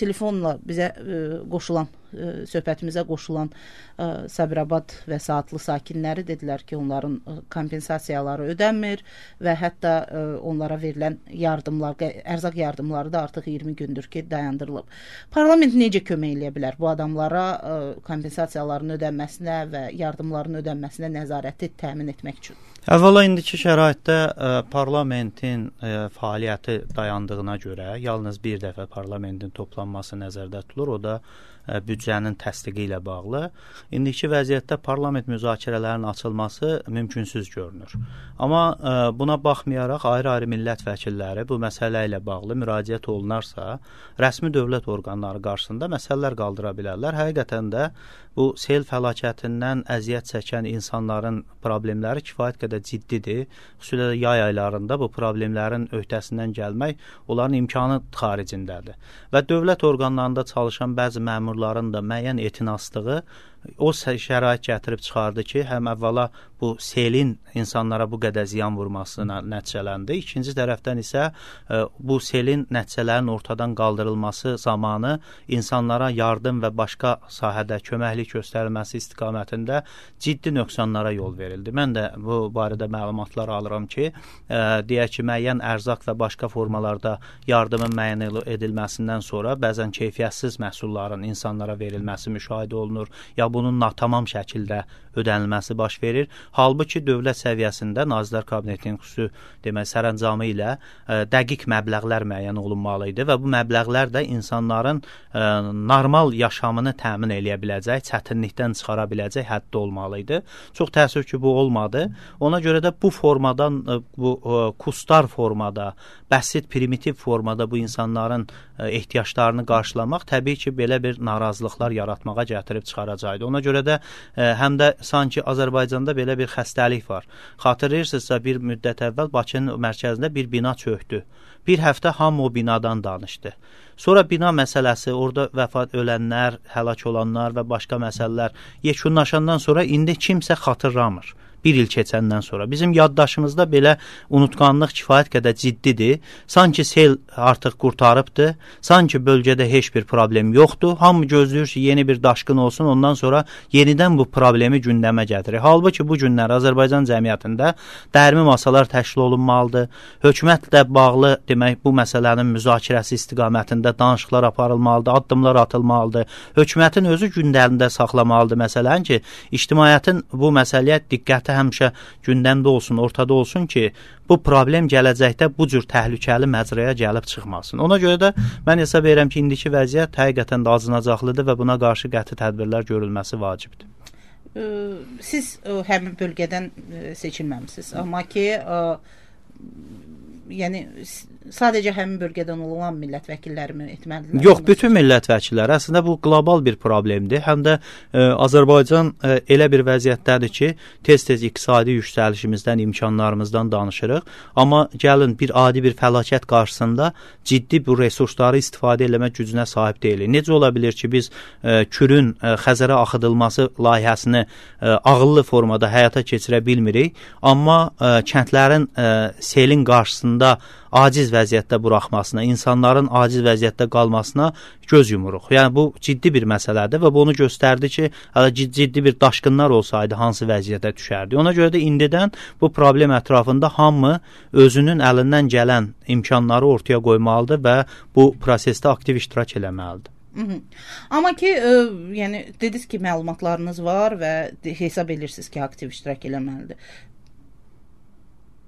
telefonla bizə qoşulan, söhbətimizə qoşulan Sabirabad və Saatlı sakinləri dedilər ki, onların kompensasiyaları ödənmir və hətta onlara verilən yardımlar, ərzaq yardımları da artıq 20 gündür ki, dayandırılıb. Parlament necə kömək eləyə bilər bu adamlara kompensasiyaların ödənməsinə və yardımların ödənməsinə nəzarəti təmin etmək üçün? Əvvəla indiki şəraitdə parlamentin fəaliyyəti dayandığına görə yalnız bir dəfə parlamentin toplanması nəzərdə tutulur, o da büdcənin təsdiqi ilə bağlı. İndiki vəziyyətdə parlament müzakirələrinin açılması mümkünsüz görünür. Amma buna baxmayaraq ayrı-ayrı millət vəkilləri bu məsələ ilə bağlı müraciət olunarsa, rəsmi dövlət orqanları qarşısında məsələlər qaldıra bilərlər. Həqiqətən də bu sel fəlakətindən əziyyət çəkən insanların problemləri kifayət qədər ciddidir. Xüsusilə yay aylarında bu problemlərin öhdəsindən gəlmək onların imkanı xaricindədir. Və dövlət orqanlarında çalışan bəzi məmurların da müəyyən etinaslığı o şərait gətirib çıxardı ki, həm əvvəla bu selin insanlara bu qədər ziyan vurmasına nəticələndi. İkinci tərəfdən isə bu selin nəticələrin ortadan qaldırılması zamanı insanlara yardım və başqa sahədə köməklik göstərilməsi istiqamətində ciddi nöqsanlara yol verildi. Mən də bu barədə məlumatlar alıram ki, deyək ki, müəyyən ərzaq və başqa formalarda yardımın müəyyən edilməsindən sonra bəzən keyfiyyətsiz məhsulların insanlara verilməsi müşahidə olunur, ya bunun natamam şəkildə ödənilməsi baş verir. Halbuki dövlət səviyyəsində Nazirlər Kabinetinin xüsusi sərəncamı ilə dəqiq məbləğlər müəyyən olunmalı idi və bu məbləğlər də insanların normal yaşamını təmin eləyə biləcək, çətinlikdən çıxara biləcək həddə olmalı idi. Çox təəssüf ki, bu olmadı. Ona görə də bu formadan, bu kustar formada, bəsit, primitiv formada bu insanların ehtiyaclarını qarşılamaq təbii ki, belə bir narazılıqlar yaratmağa gətirib çıxaracaqdı. Ona görə də həm də sanki Azərbaycanda belə bir xəstəlik var. Xatırlayırsınızsa, bir müddət əvvəl Bakının mərkəzində bir bina çökdü. Bir həftə hamı o binadan danışdı. Sonra bina məsələsi, orada vəfat ölənlər, həlak olanlar və başqa məsələlər yekunlaşandan sonra indi kimsə xatırlamır. Bir il keçəndən sonra. Bizim yaddaşımızda belə unutqanlıq kifayət qədər ciddidir. Sanki sel artıq qurtarıbdır. Sanki bölgədə heç bir problem yoxdur. Hamı gözləyir ki, yeni bir daşqın olsun. Ondan sonra yenidən bu problemi gündəmə gətirir. Halbuki bu günlər Azərbaycan cəmiyyətində dərmi masalar təşkil olunmalıdır. Hökumətlə bağlı demək bu məsələnin müzakirəsi istiqamətində danışıqlar aparılmalıdır, addımlar atılmalıdır. Hökumətin özü gündəlində saxlamalıdır məsələn ki, ictimaiyyətin bu məsələyə diqqəti həmişə gündəmdə olsun, ortada olsun ki, bu problem gələcəkdə bu cür təhlükəli məcraya gəlib çıxmasın. Ona görə də mən hesab edirəm ki, indiki vəziyyət həqiqətən də acınacaqlıdır və buna qarşı qəti tədbirlər görülməsi vacibdir. Siz həmin bölgədən seçilməmisiniz, amma ki, yəni sadəcə həmin bölgədən olan millət vəkilləri mi etməlidirlər? Yox, bütün millət vəkilləri. Əslində bu qlobal bir problemdir. Həm də Azərbaycan elə bir vəziyyətdədir ki, tez-tez iqtisadi yüksəlişimizdən, imkanlarımızdan danışırıq. Amma gəlin bir adi bir fəlakət qarşısında ciddi bu resursları istifadə eləmək gücünə sahib deyilik. Necə ola bilir ki, biz Kürün Xəzərə axıdılması layihəsini ağıllı formada həyata keçirə bilmirik, amma kəndlərin selin qarşısında aciz vəziyyətdə buraxmasına, insanların aciz vəziyyətdə qalmasına göz yumuruq. Yəni bu ciddi bir məsələdir və bunu göstərdi ki, ciddi bir daşqınlar olsaydı hansı vəziyyətə düşərdi. Ona görə də indidən bu problem ətrafında hamı özünün əlindən gələn imkanları ortaya qoymalıdır və bu prosesdə aktiv iştirak eləməlidir. Amma ki, yəni dediniz ki, məlumatlarınız var və hesab edirsiniz ki, aktiv iştirak eləməlidir.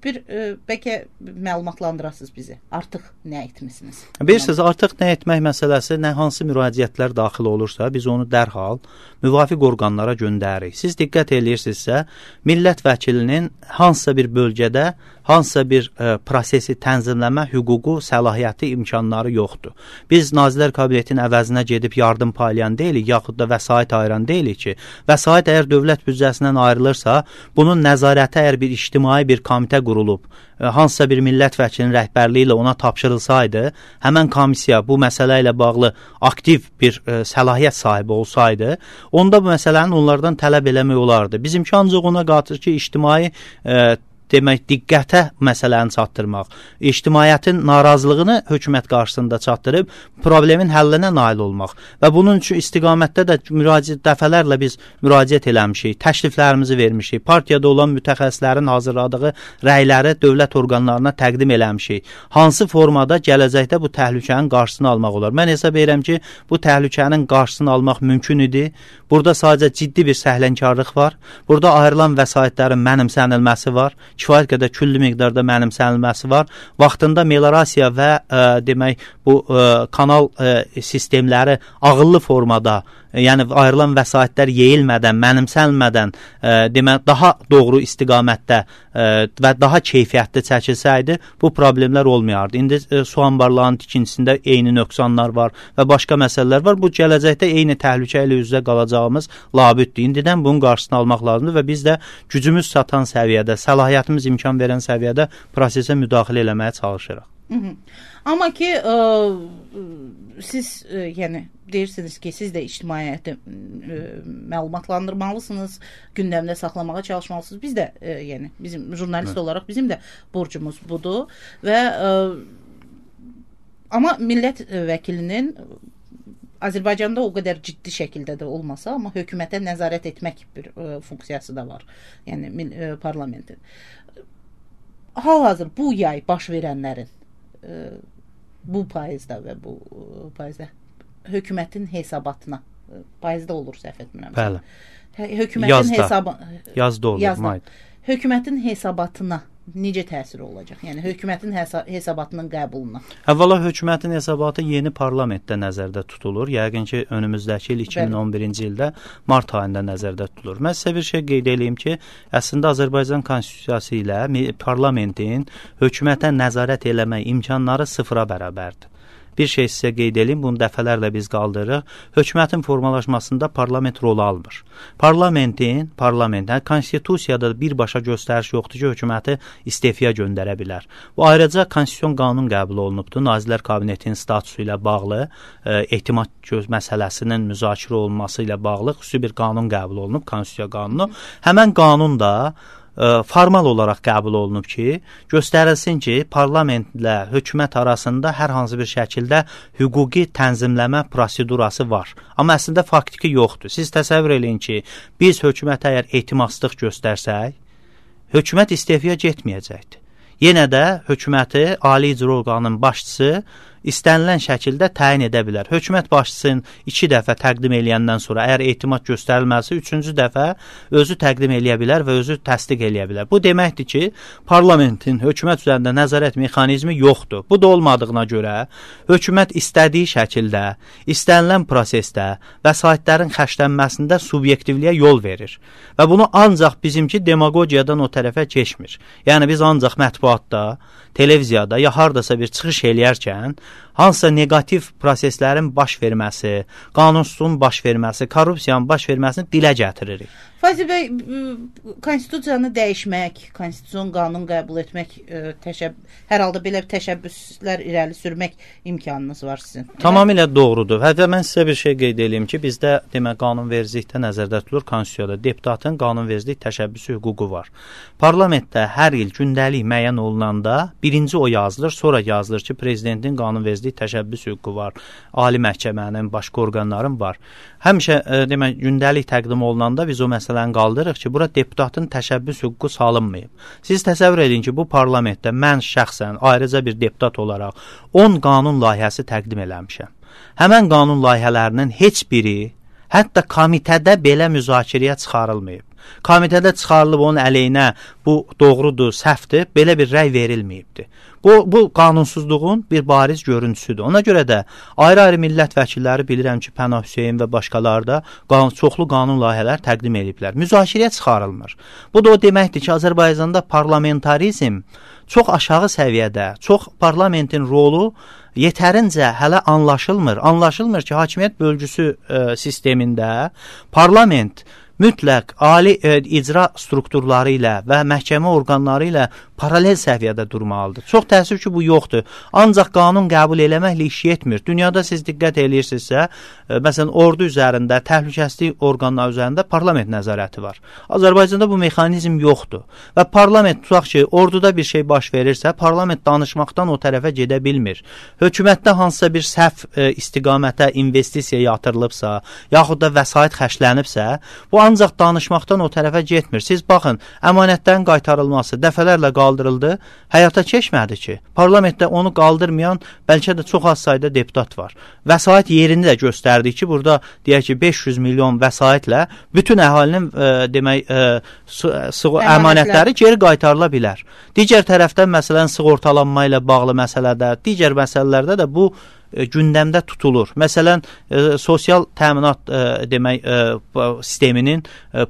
Bəlkə məlumatlandırasınız bizi. Artıq nə etmisiniz? Bilirsiniz, artıq nə etmək məsələsi, nə hansı müraciətlər daxil olursa, biz onu dərhal müvafiq orqanlara göndəririk. Siz diqqət edirsinizsə, millət vəkilinin hansısa bir bölgədə hansısa bir prosesi tənzimləmə hüququ, səlahiyyəti, imkanları yoxdur. Biz Nazirlər Kabinetinin əvəzinə gedib yardım paylayan deyilik, yaxud da vəsait ayıran deyilik ki, vəsait əgər dövlət büdcəsindən ayrılırsa, bunun nəzarəti əgər bir ictimai bir komitə qurulub, hansısa bir millət vəkilinin rəhbərliyi ilə ona tapşırılsaydı, həmən komissiya bu məsələ ilə bağlı aktiv bir səlahiyyət sahibi olsaydı, onda bu məsələnin onlardan tələb eləmək olardı. Bizimki ancaq ona qatır ki, ictimai demək diqqətə məsələni çatdırmaq, ictimaiyyətin narazılığını hökumət qarşısında çatdırıb problemin həllinə nail olmaq və bunun üçün istiqamətdə də dəfələrlə biz müraciət eləmişik, təkliflərimizi vermişik, partiyada olan mütəxəssislərin hazırladığı rəyləri dövlət orqanlarına təqdim eləmişik. Hansı formada gələcəkdə bu təhlükənin qarşısını almaq olar? Mən hesab edirəm ki, bu təhlükənin qarşısını almaq mümkün idi. Burada sadəcə ciddi bir səhlənkarlıq var. Burada ayrılan vəsaitlərin mənimsənilməsi var. Kifayət qədər küllü miqdarda mənimsənilməsi var. Vaxtında meliorasiya və demək bu kanal sistemləri ağıllı formada, yəni ayrılan vəsaitlər yeyilmədən, mənimsənilmədən demək daha doğru istiqamətdə və daha keyfiyyətli çəkilsəydi, bu problemlər olmayardı. İndi su anbarlarının tikintisində eyni nöqsanlar var və başqa məsələlər var. Bu gələcəkdə eyni təhlükə ilə üzrə qalacağımız labüddür. İndidən bunun qarşısını almaq lazımdır və biz də gücümüz çatan səviyyədə, səlahiyyətimiz imkan verən səviyyədə prosesə müdaxilə eləməyə çalışırıq. Amma ki siz yəni deyirsiniz ki, siz də ictimaiyyəti məlumatlandırmalısınız, gündəmdə saxlamağa çalışmalısınız. Biz də yəni bizim jurnalist olaraq bizim də borcumuz budur və amma millət vəkilinin Azərbaycanda o qədər ciddi şəkildə də olmasa, amma hökumətə nəzarət etmək bir funksiyası da var. Yəni parlamentin. Hal-hazır bu yay baş verənlərin bu payızda və bu payızda hökumətin hesabatına payızda olur səhv etmirəm. Bəli. Hökumətin yazda olur. Hökumətin hesabatına necə təsir olacaq? Yəni hökumətin hesabatının qəbuluna. Əvvəla hökumətin hesabatı yeni parlamentdə nəzərdə tutulur. Yəqin ki, önümüzdəki il 2011-ci ildə mart ayında nəzərdə tutulur. Mən sizə bir şey qeyd edeyim ki, əslində Azərbaycan konstitusiyası ilə parlamentin hökumətə nəzarət eləmək imkanları sıfıra bərabərdir. Bir şey sizə qeyd edeyim, bunu dəfələrlə biz qaldırırıq. Hökumətin formalaşmasında parlament rol almır. Parlamentin, konstitusiyada birbaşa göstəriş yoxdur ki, hökuməti istefaya göndərə bilər. Bu ayrıca konstitusiyon qanun qəbul olunubdur. Nazirlər Kabinetinin statusu ilə bağlı, etimad məsələsinin müzakirə olunması ilə bağlı xüsusi bir qanun qəbul olunub, konstitusiya qanunu. Həmən qanun da formal olaraq qəbul olunub ki, göstərilsin ki, parlamentlə hökumət arasında hər hansı bir şəkildə hüquqi tənzimləmə prosedurası var. Amma əslində faktiki yoxdur. Siz təsəvvür eləyin ki, biz hökumətə əgər etimadsızlıq göstərsək, hökumət istefaya getməyəcəkdir. Yenə də hökuməti ali icra orqanının başçısı istənilən şəkildə təyin edə bilər. Hökumət başçısının 2 dəfə təqdim eləyəndən sonra əgər etimad göstərilməsi 3-cü dəfə özü təqdim eləyə bilər və özü təsdiq eləyə bilər. Bu deməkdir ki, parlamentin hökumət üzərində nəzarət mexanizmi yoxdur. Bu da olmadığına görə hökumət istədiyi şəkildə, istənilən prosesdə vəsaitlərin xərclənməsində subyektivliyə yol verir. Və bunu ancaq bizimki demagogiyadan o tərəfə keçmir. Yəni biz ancaq mətbuatda, televiziyada ya hardasa bir çıxış eləyərkən hansısa negativ proseslərin baş verməsi, qanunsuzluğun baş verməsi, korrupsiyanın baş verməsini dilə gətiririk. Fazil bəy, konstitusiyanı dəyişmək, konstitusiyon qanun qəbul etmək, hər halda belə təşəbbüslər irəli sürmək imkanınız var sizin. Tamamilə doğrudur. Hətta mən sizə bir şey qeyd edeyim ki, bizdə demək qanunvericilikdə nəzərdə tutulur konstitusiyada deputatın qanunvericilik təşəbbüsü hüququ var. Parlamentdə hər il gündəlik müəyyən olunanda birinci o yazılır, sonra yazılır ki, prezidentin qanunvericilik təşəbbüs hüququ var, ali məhkəmənin, başqa orqanların var. Həmişə demək gündəlik təqdim olunanda biz o məsələni qaldırırıq ki, bura deputatın təşəbbüs hüququ salınmayıb. Siz təsəvvür edin ki, bu parlamentdə mən şəxsən ayrıca bir deputat olaraq 10 qanun layihəsi təqdim eləmişəm. Həmən qanun layihələrinin heç biri hətta komitədə belə müzakirəyə çıxarılmayıb. Komitədə çıxarılıb onun əleyhinə bu doğrudur, səhvdir, belə bir rəy verilməyibdir. Bu qanunsuzluğun bir bariz görüntüsüdür. Ona görə də ayrı-ayrı millət vəkilləri bilirəm ki, Pənah Hüseyn və başqaları da çoxlu qanun layihələr təqdim ediblər. Müzakirəyə çıxarılmır. Bu da o deməkdir ki, Azərbaycanda parlamentarizm çox aşağı səviyyədə, çox parlamentin rolu yetərincə hələ anlaşılmır. Anlaşılmır ki, hakimiyyət bölgüsü sistemində parlament mütləq ali icra strukturları ilə və məhkəmə orqanları ilə paralel səviyyədə durmalıdır. Çox təəssüf ki, bu yoxdur. Ancaq qanun qəbul eləməklə iş yetmir. Dünyada siz diqqət eləyirsinizsə, məsələn, ordu üzərində, təhlükəsizlik orqanları üzərində parlament nəzarəti var. Azərbaycanda bu mexanizm yoxdur. Və parlament, tutaq ki, orduda bir şey baş verirsə, parlament danışmaqdan o tərəfə gedə bilmir. Hökumətdə hansısa bir səhv istiqamətə investisiya yatırılıbsa, yaxud da vəsait xərclənibsə, bu ancaq danışmaqdan o tərəfə getmir. Siz baxın, əmanətlərin qaytarılması dəfələrlə qaldırıldı, həyata keçmədi ki. Parlamentdə onu qaldırmayan bəlkə də çox az sayda deputat var. Vəsait yerini də göstərdi ki, burada deyək ki, 500 milyon vəsaitlə bütün əhalinin əmanətləri geri qaytarıla bilər. Digər tərəfdən, məsələn, sığortalanma ilə bağlı məsələdə, digər məsələlərdə də bu gündəmdə tutulur. Məsələn, sosial təminat sisteminin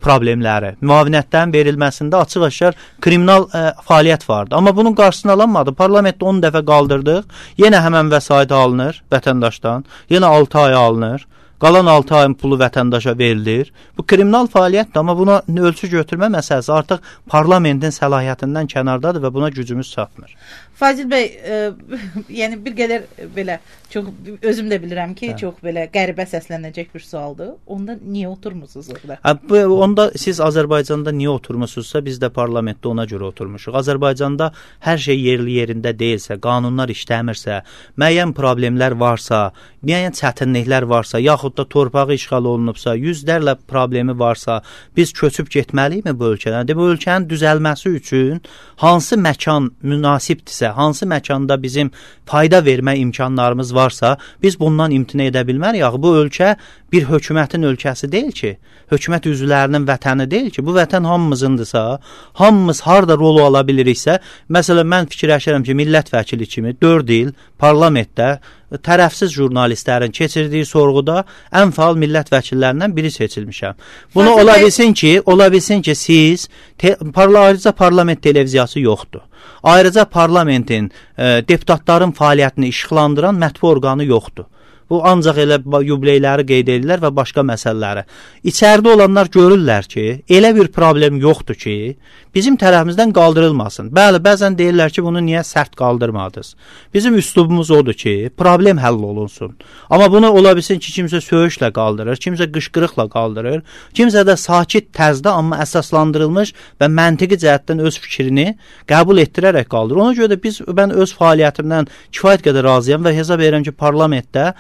problemləri, müavinətlərin verilməsində açıq-aşkar kriminal fəaliyyət vardı. Amma bunun qarşısını alınmadı. Parlamentdə 10 dəfə qaldırdıq. Yenə həmən vəsait alınır vətəndaşdan. Yenə 6 ay alınır. Qalan 6 ayın pulu vətəndaşa verilir. Bu kriminal fəaliyyətdir, amma buna ölçü götürmə məsələsi artıq parlamentin səlahiyyətindən kənardadır və buna gücümüz çatmır. Fazil bəy, yəni bir qədər belə çox özüm də bilirəm ki, çox belə qəribə səslənəcək bir sualdır. Onda niyə oturmusunuz orada? Onda siz Azərbaycanda niyə oturmusunuzsa, biz də parlamentdə ona görə oturmuşuq. Azərbaycanda hər şey yerli yerində deyilsə, qanunlar işləmirsə, müəyyən problemlər varsa, müəyyən çətinliklər varsa, yaxud da torpağı işğal olunubsa, yüzlərlə problemi varsa, biz köçüb getməliyik bu ölkədən? Bu ölkənin düzəlməsi üçün hansı məkan münasibdirsə, hansı məkanda bizim fayda vermə imkanlarımız varsa, biz bundan imtina edə bilmərik. Bu ölkə bir hökumətin ölkəsi deyil ki, hökumət üzvlərinin vətəni deyil ki, bu vətən hamımızındırsa, hamımız harda rol ala biliriksə, məsələn, mən fikirləşirəm ki, millət vəkili kimi 4 il parlamentdə tərəfsiz jurnalistlərin keçirdiyi sorğuda ən faal millət vəkillərindən biri seçilmişəm. Bunu ola bilsin ki, siz ayrıca parlament televiziyası yoxdur. Ayrıca parlamentin deputatların fəaliyyətini işıqlandıran mətbu orqanı yoxdur. Bu ancaq elə yubileyləri qeyd edirlər və başqa məsələləri. İçəridə olanlar görürlər ki, elə bir problem yoxdur ki, bizim tərəfimizdən qaldırılmasın. Bəli, bəzən deyirlər ki, bunu niyə sərt qaldırmadınız? Bizim üslubumuz odur ki, problem həll olunsun. Amma bunu ola bilsin ki, kimsə söyüşlə qaldırır, kimsə qışqırıqla qaldırır, kimsə də sakit tərzdə, amma əsaslandırılmış və məntiqi cəhətdən öz fikrini qəbul etdirərək qaldırır. Ona görə də mən öz fəaliyyətimdən kifayət qədər razıyam və hesab edirəm ki, parlamentdə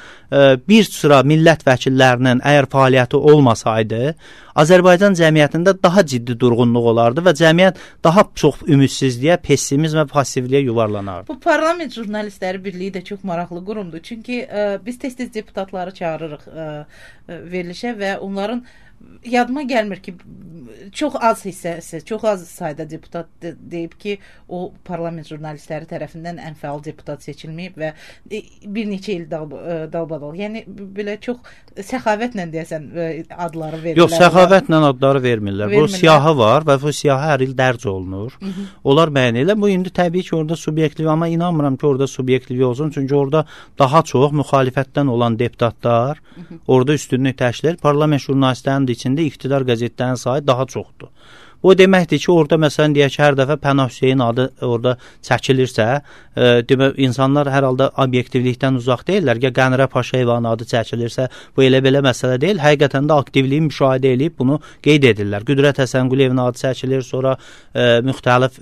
bir sıra millət vəkillərinin əgər fəaliyyəti olmasaydı, Azərbaycan cəmiyyətində daha ciddi durğunluq olardı və cəmiyyət daha çox ümidsizliyə, pessimizm və passivliyə yuvarlanardı. Bu Parlament Jurnalistləri Birliyi də çox maraqlı qurumdur. Çünki biz tez-tez deputatları çağırırıq verilişə və onların yadıma gəlmir ki, çox az hissəsi, çox az sayda deputat deyib ki, o parlament jurnalistləri tərəfindən ən fəal deputat seçilməyib və bir neçə il dalbadal. Yəni, belə çox səxavətlə deyəsən adları verirlər. Yox, səxavətlə adları vermirlər. Bu siyahı var və bu siyahı hər il dərc olunur. Onlar müəyyən elə. Bu, indi təbii ki, orada subyektiv, amma inanmıram ki, orada subyektiv olsun. Çünki orada daha çox müxalifətdən olan deputatlar orada üstünlük təşkil edir. Parlament jurnalistlərinin içində iqtidar qəzetlərinin sayı daha çoxdur. Bu deməkdir ki, orada məsələn deyək ki, hər dəfə Pənah Hüseyin adı orada çəkilirsə, insanlar hər halda obyektivlikdən uzaq deyirlər. Ya Qənirə Paşayevanın adı çəkilirsə, bu elə-belə məsələ deyil. Həqiqətən də aktivliyi müşahidə edib bunu qeyd edirlər. Qüdrət Həsəngüliyevin adı çəkilir, sonra müxtəlif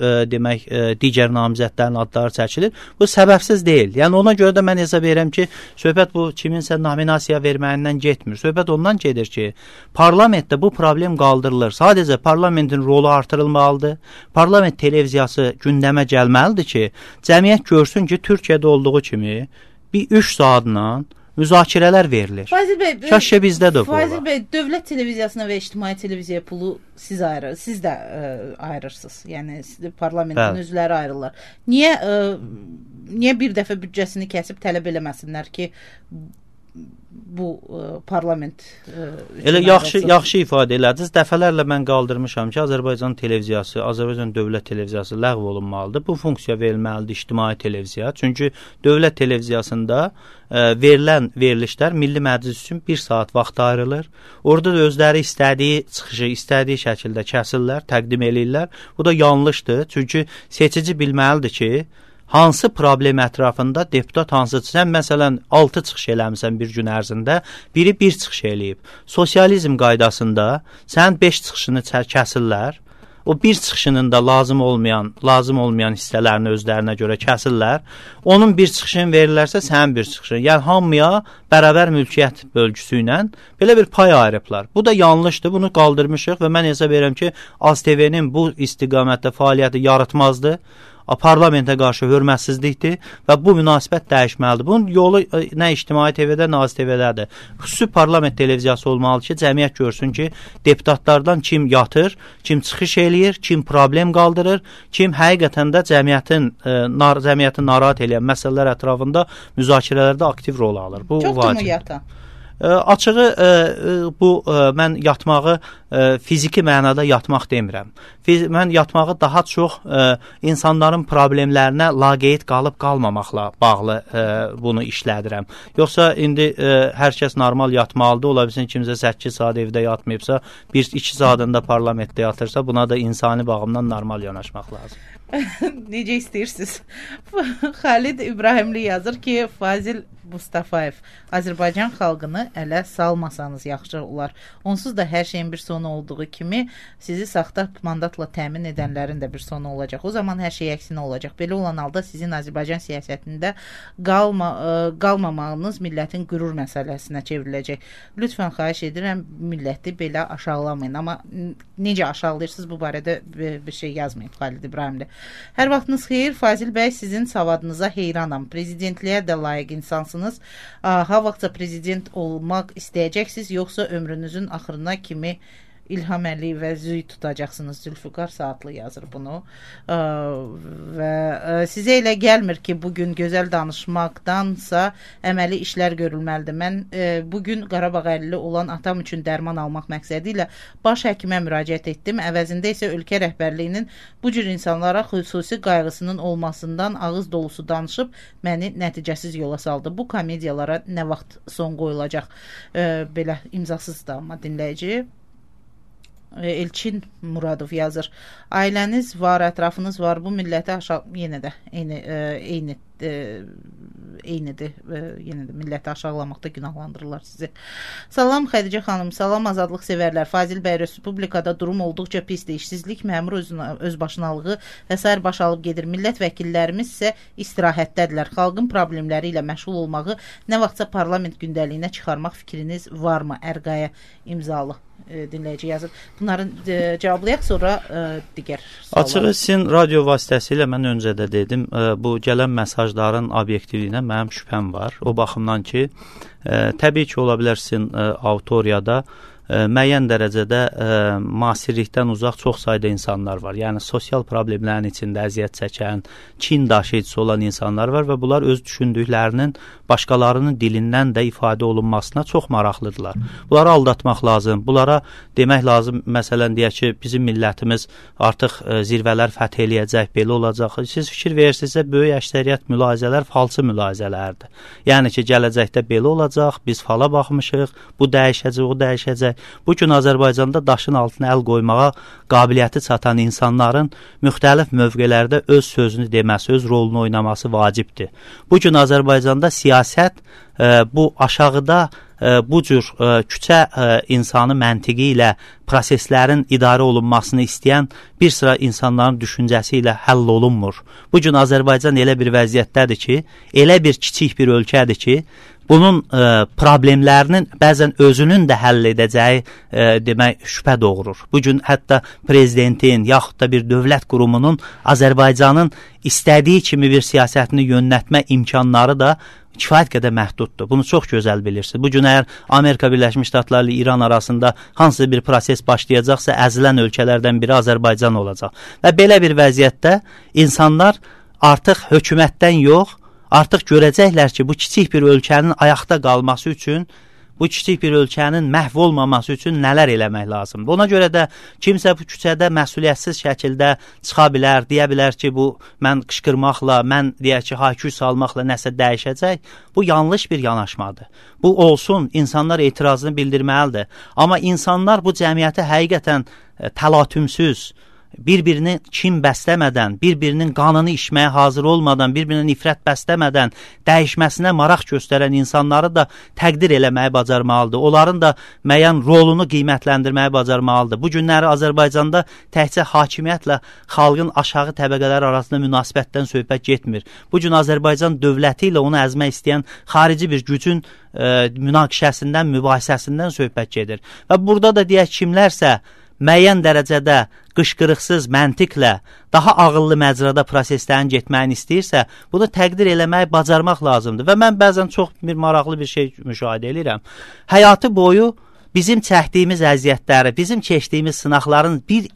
digər namizədlərin adları çəkilir. Bu səbəbsiz deyil. Yəni ona görə də mən hesab edirəm ki, söhbət bu kiminsə nominasiya verməyindən getmir. Söhbət ondan gedir ki, parlamentdə bu problem qaldırılır. Sadəcə parlamentin rolu artırılmalıdır. Parlament televiziyası gündəmə gəlməlidir ki, cəmiyyət görsün ki, Türkiyədə olduğu kimi bir 3 saatla müzakirələr verilir. Fazil bəy, Şəşə bizdədir bu. Fazil bəy, dövlət televiziyasına və ictimai televiziyaya pulu siz də ayırırsınız. Yəni parlamentin üzvləri ayrılırlar. Niyə bir dəfə büdcəsini kəsib tələb eləməsinlər ki, bu parlament elə yaxşı ifadə elədiniz. Dəfələrlə mən qaldırmışam ki, Azərbaycan televiziyası, Azərbaycan dövlət televiziyası ləğv olunmalıdır. Bu funksiya verilməlidir ictimai televiziya. Çünki dövlət televiziyasında verilən verilişlər Milli Məclis üçün 1 saat vaxt ayrılır. Orada da özləri istədiyi çıxışı, istədiyi şəkildə kəsirlər, təqdim eləyirlər. Bu da yanlışdır. Çünki seçici bilməlidir ki, hansı problem ətrafında deputat hansıdır? Sən məsələn 6 çıxış eləmisən bir gün ərzində, biri 1 çıxış eləyib. Sosializm qaydasında sən 5 çıxışını kəsirlər. O bir çıxışının da lazım olmayan hissələrini özlərinə görə kəsirlər. Onun bir çıxışını verirlərsə sənin bir çıxışın. Yəni hamıya bərabər mülkiyyət bölgüsü ilə belə bir pay ayırıblar. Bu da yanlışdır. Bunu qaldırmışıq və mən hesab edirəm ki, AzTV-nin bu istiqamətdə fəaliyyəti yaratmazdı. Parlamentə qarşı hörmətsizlikdir və bu münasibət dəyişməlidir. Bunun yolu nə ictimai TV-də, nə AzTV-dədir. Xüsusi parlament televiziyası olmalı ki, cəmiyyət görsün ki, deputatlardan kim yatır, kim çıxış eləyir, kim problem qaldırır, kim həqiqətən də cəmiyyəti narahat eləyən məsələlər ətrafında müzakirələrdə aktiv rol alır. Bu çoxdur mu yatan? Açığı mən yatmağı fiziki mənada yatmaq demirəm. Mən yatmağı daha çox insanların problemlərinə laqeyd qalıb qalmamaqla bağlı bunu işlədirəm. Yoxsa indi hər kəs normal yatmalıdır. Ola bilsin kimsə 8 saat evdə yatmayıbsa, 1-2 saatında parlamentdə yatırsa, buna da insani baxımdan normal yanaşmaq lazım. Necə istəyirsiniz? Xalid İbrahimli yazır ki, Fazil Mustafayev, Azərbaycan xalqını ələ salmasanız yaxşı olar. Onsuz da hər şeyin bir sonu olduğu kimi sizi saxta mandatla təmin edənlərin də bir sonu olacaq. O zaman hər şey əksinə olacaq. Belə olan halda sizin Azərbaycan siyasətində qalmamağınız millətin qürur məsələsinə çevriləcək. Lütfən xahiş edirəm, milləti belə aşağılamayın. Amma necə aşağılayırsınız bu barədə bir şey yazmayın Xalid İbrahimli. Hər vaxtınız xeyir. Fazil bəy, sizin savadınıza heyranam. Prezidentliyə də layiq insansınız. Ha vaxtsa prezident olmaq istəyəcəksiniz, yoxsa ömrünüzün axırına kimi İlham Əliyev və Züy tutacaqsınız? Zülfüqar Saatlı yazır bunu. Və sizə elə gəlmir ki, bugün gözəl danışmaqdansa əməli işlər görülməlidir. Mən bugün Qarabağ əlili olan atam üçün dərman almaq məqsədi ilə baş həkimə müraciət etdim. Əvəzində isə ölkə rəhbərliyinin bu cür insanlara xüsusi qayğısının olmasından ağız dolusu danışıb məni nəticəsiz yola saldı. Bu komediyalara nə vaxt son qoyulacaq? Belə imzasız da amma dinləyici. Elçin Muradov yazır. Ailəniz var, ətrafınız var. Bu milləti yenə də eynidir. Yenə də milləti aşağılamaqda günahlandırırlar sizi. Salam Xədicə xanım, salam azadlıq sevərlər. Fazil bəy, Respublikada durum olduqca pisdir. İşsizlik, məmur özbaşınalığı və sair baş alıb gedir. Millət vəkillərimiz isə istirahətdədirlər. Xalqın problemləri ilə məşğul olmağı nə vaxtsa parlament gündəliyinə çıxarmaq fikriniz varmı? Ərqaya imzalı dinləyici yazır. Bunların cavablayaq, sonra digər suallar. Açığı sizin radio vasitəsilə mən öncə də dedim, bu gələn mesajların obyektivliyinə mənim şübhəm var. O baxımdan ki, təbii ki, ola bilər sizin auditoriyada müəyyən dərəcədə müasirlikdən uzaq çox sayda insanlar var. Yəni sosial problemlərin içində əziyyət çəkən, kin daşıyıcısı olan insanlar var və bunlar öz düşündüklərinin başqalarının dilindən də ifadə olunmasına çox maraqlıdırlar. Bunları aldatmaq lazım. Bunlara demək lazım, məsələn deyək ki, bizim millətimiz artıq zirvələr fəth eləyəcək, belə olacaq. Siz fikir verirsinizsə, böyük əksəriyyət mülahizələr falsı mülahizələrdir. Yəni ki, gələcəkdə belə olacaq, biz fala baxmışıq, bu dəyişəcək, o dəyişəcək. Bu gün Azərbaycanda daşın altına əl qoymağa qabiliyyəti çatan insanların müxtəlif mövqelərdə öz sözünü deməsi, öz rolunu oynaması vacibdir. Bu gün Azərbaycanda siyasət bu aşağıda bu cür küçə insanı məntiqi ilə proseslərin idarə olunmasını istəyən bir sıra insanların düşüncəsi ilə həll olunmur. Bu gün Azərbaycan elə bir vəziyyətdədir ki, elə bir kiçik bir ölkədir ki, bunun problemlərinin bəzən özünün də həll edəcəyi demək şübhə doğurur. Bugün hətta prezidentin yaxud da bir dövlət qurumunun Azərbaycanın istədiyi kimi bir siyasətini yönətmə imkanları da kifayət qədər məhduddur. Bunu çox gözəl bilirsiniz. Bugün əgər Amerika Birləşmiş Ştatları ilə İran arasında hansısa bir proses başlayacaqsa, əzilən ölkələrdən biri Azərbaycan olacaq. Və belə bir vəziyyətdə insanlar artıq hökumətdən yox, artıq görəcəklər ki, bu kiçik bir ölkənin ayaqda qalması üçün, bu kiçik bir ölkənin məhv olmaması üçün nələr eləmək lazımdır. Ona görə də kimsə bu küçədə məsuliyyətsiz şəkildə çıxa bilər, deyə bilər ki, bu mən qışqırmaqla, mən deyək ki, hayküy salmaqla nəsə dəyişəcək. Bu yanlış bir yanaşmadır. Bu olsun, insanlar etirazını bildirməlidir. Amma insanlar bu cəmiyyəti həqiqətən təlatümsüz, bir-birini kim bəsləmədən, bir-birinin qanını içməyə hazır olmadan, bir-birinə nifrət bəsləmədən dəyişməsinə maraq göstərən insanları da təqdir eləməyi bacarmalıdır. Onların da müəyyən rolunu qiymətləndirməyi bacarmalıdır. Bu günləri Azərbaycanda təkcə hakimiyyətlə xalqın aşağı təbəqələri arasında münasibətdən söhbət getmir. Bu gün Azərbaycan dövləti ilə onu əzmək istəyən xarici bir gücün münaqişəsindən, mübahisəsindən söhbət gedir. Və burada da deyək kimlərsə müəyyən dərəcədə qışqırıqsız məntiqlə daha ağıllı məcrada proseslərin getməyini istəyirsə, bunu təqdir eləmək, bacarmaq lazımdır. Və mən bəzən çox bir maraqlı bir şey müşahidə edirəm. Həyatı boyu bizim çəkdiyimiz əziyyətləri, bizim keçdiyimiz sınaqların bir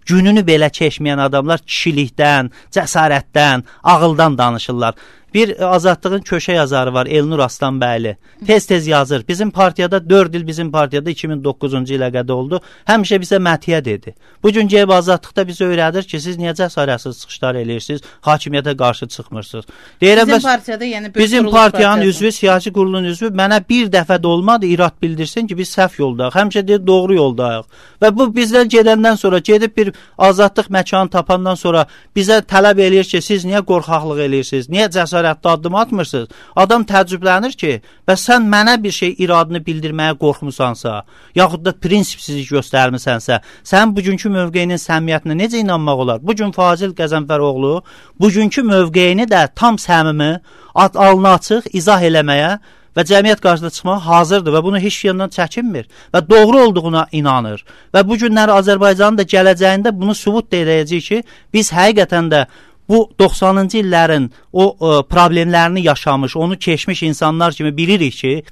gününü belə keçməyən adamlar kişilikdən, cəsarətdən, ağıldan danışırlar. Bir Azadlığın köşə yazarı var, Elnur Aslanbəyli. Tez-tez yazır. Bizim partiyada 4 il bizim partiyada 2009-cu ilə qədə oldu. Həmişə bizə məthiyə dedi. Bugün gəlib Azadlıqda bizə öyrədir ki, siz niyə cəsarətsiz çıxışlar eləyirsiniz, hakimiyyətə qarşı çıxmırsınız. Deyirəm, bizim partiyada, yəni bizim partiyanın üzvü, siyasi qurulun üzvü mənə bir dəfə də olmadı irad bildirsin ki, biz səhv yoldayıq. Həmişə deyir, doğru yoldayıq. Və bu bizdən gedəndən sonra, gedib bir azadlıq məkanı tapandan sonra bizə tələb eləyir ki, siz niyə qorxaqlıq eləyirsiniz, niyə cəsarətli addım atmırsınız? Adam təəccüblənir ki, bəs sən mənə bir şey iradını bildirməyə qorxmusansa, yaxud da prinsipsizlik göstərmisənsə, sən bugünkü mövqeyinin səmimiyyətinə necə inanmaq olar? Bugün Fazil Qəzənfəroğlu bugünkü mövqeyini də tam səmimi, alnı açıq izah eləməyə və cəmiyyət qarşısında çıxmağa hazırdır və bunu heç yandan çəkinmir və doğru olduğuna inanır. Və bu günləri Azərbaycanın da gələcəyində bunu sübut edəcəyik ki, biz həqiqətən də bu 90-cı illərin o problemlərini yaşamış, onu keçmiş insanlar kimi bilirik ki,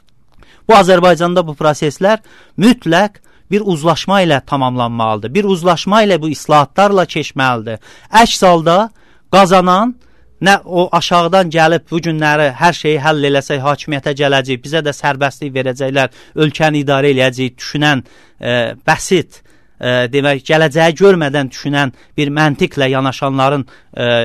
bu Azərbaycanda bu proseslər mütləq bir uzlaşma ilə tamamlanmalıdır. Bir uzlaşma ilə bu islahatlarla keçməlidir. Əks halda qazanan nə o aşağıdan gəlib bu günləri hər şeyi həll eləsək, hakimiyyətə gələcək, bizə də sərbəstlik verəcəklər, ölkəni idarə eləyəcək, düşünən bəsit, demək, gələcəyi görmədən düşünən bir məntiqlə yanaşanların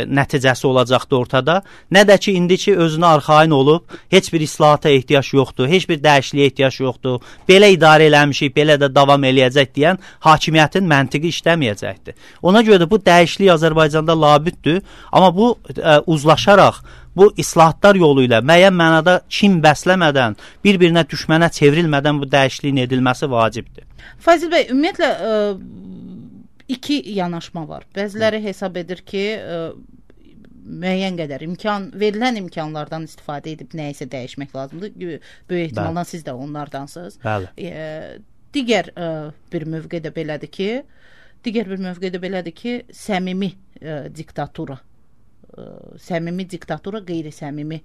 nəticəsi olacaqdı ortada. Nə də ki, indiki özünə arxain olub, heç bir islahata ehtiyac yoxdur, heç bir dəyişikliyə ehtiyac yoxdur, belə idarə eləmişik, belə də davam eləyəcək deyən hakimiyyətin məntiqi işləməyəcəkdir. Ona görə də bu dəyişiklik Azərbaycanda labüddür, amma bu uzlaşaraq, bu islahatlar yolu ilə müəyyən mənada kin bəsləmədən, bir-birinə düşmənə çevrilmədən bu dəyişikliyin edilməsi vacibdir. Fazil bəy, ümumiyyətlə iki yanaşma var. Bəziləri hesab edir ki, müəyyən qədər verilən imkanlardan istifadə edib nəyisə dəyişmək lazımdır. Böyük ehtimalla siz də onlardansınız. Digər bir mövqe də belədir ki, səmimi diktatura. Səmimi diktatura qeyri-səmimi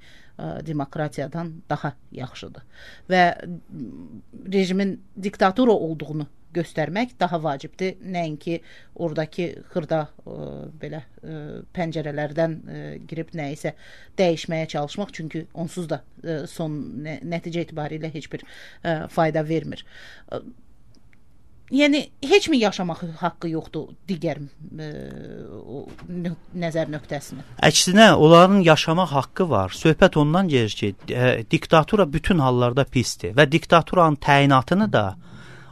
demokratiyadan daha yaxşıdır. Və rejimin diktatura olduğunu göstərmək daha vacibdir. Nəinki oradakı xırda belə pəncərələrdən girib nəyisə dəyişməyə çalışmaq, çünki onsuz da son nəticə etibarilə heç bir fayda vermir. Yəni, heç mi yaşamaq haqqı yoxdur digər nəzər nöqtəsini? Əksinə, onların yaşamaq haqqı var. Söhbət ondan gedir ki, diktatura bütün hallarda pisdir və diktaturanın təyinatını da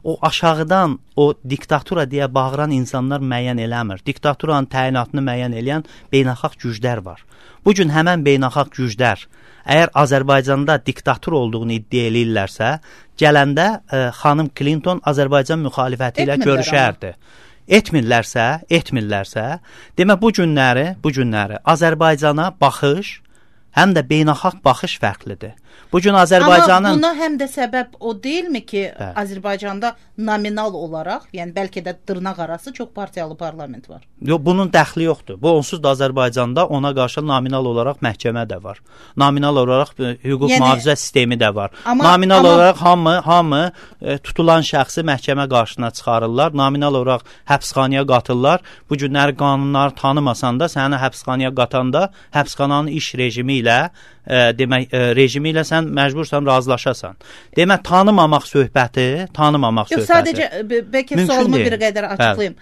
o aşağıdan o diktatura deyə bağıran insanlar müəyyən eləmir. Diktaturanın təyinatını müəyyən eləyən beynəlxalq güclər var. Bugün həmən beynəlxalq güclər əgər Azərbaycanda diktatur olduğunu iddia eləyirlərsə, gələndə xanım Clinton Azərbaycan müxalifəti ilə görüşərdi. Etmirlərsə, demək bu günləri Azərbaycana baxış, həm də beynəlxalq baxış fərqlidir. Bugün Azərbaycanın... Amma buna həm də səbəb o deyilmi ki, Azərbaycanda nominal olaraq, yəni bəlkə də dırnaq arası çox partiyalı parlament var? Yox, bunun dəxli yoxdur. Bu onsuz da Azərbaycanda ona qarşı nominal olaraq məhkəmə də var. Nominal olaraq hüquq mühafizə sistemi də var. Nominal olaraq hamı tutulan şəxsi məhkəmə qarşısına çıxarırlar. Nominal olaraq həbsxanaya qatırlar. Bu günləri qanunları tanımasan da səni həbsxanaya qatanda həbsxananın iş rejimi ilə demək rejimi ilə sən məcbursan razılaşasan. Demək tanımamaq söhbəti. Yox, sadəcə bəlkə sualımı bir qədər açıqlayım.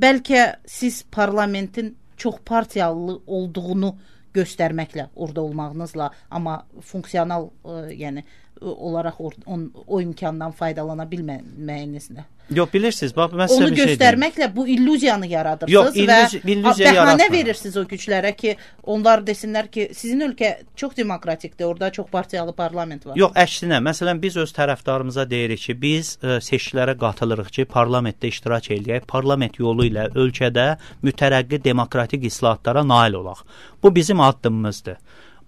Bəlkə siz parlamentin çox partiyalı olduğunu göstərməklə, orada olmağınızla, amma funksional yəni olaraq o imkandan faydalana bilməyinizlə. Yox, bilirsiniz, bax mən sizə bir şey göstərməklə bu illüziyanı yaradırsınız. Yox, illüziya bəhanə verirsiniz o güclərə ki, onlar desinlər ki, sizin ölkə çox demokratikdir, orada çox partiyalı parlament var. Yox, əksinə, məsələn biz öz tərəfdarımıza deyirik ki, biz seçkilərə qatılırıq ki, parlamentdə iştirak edək, parlament yolu ilə ölkədə mütərəqqi demokratik islahatlara nail olaq. Bu bizim addımımızdır.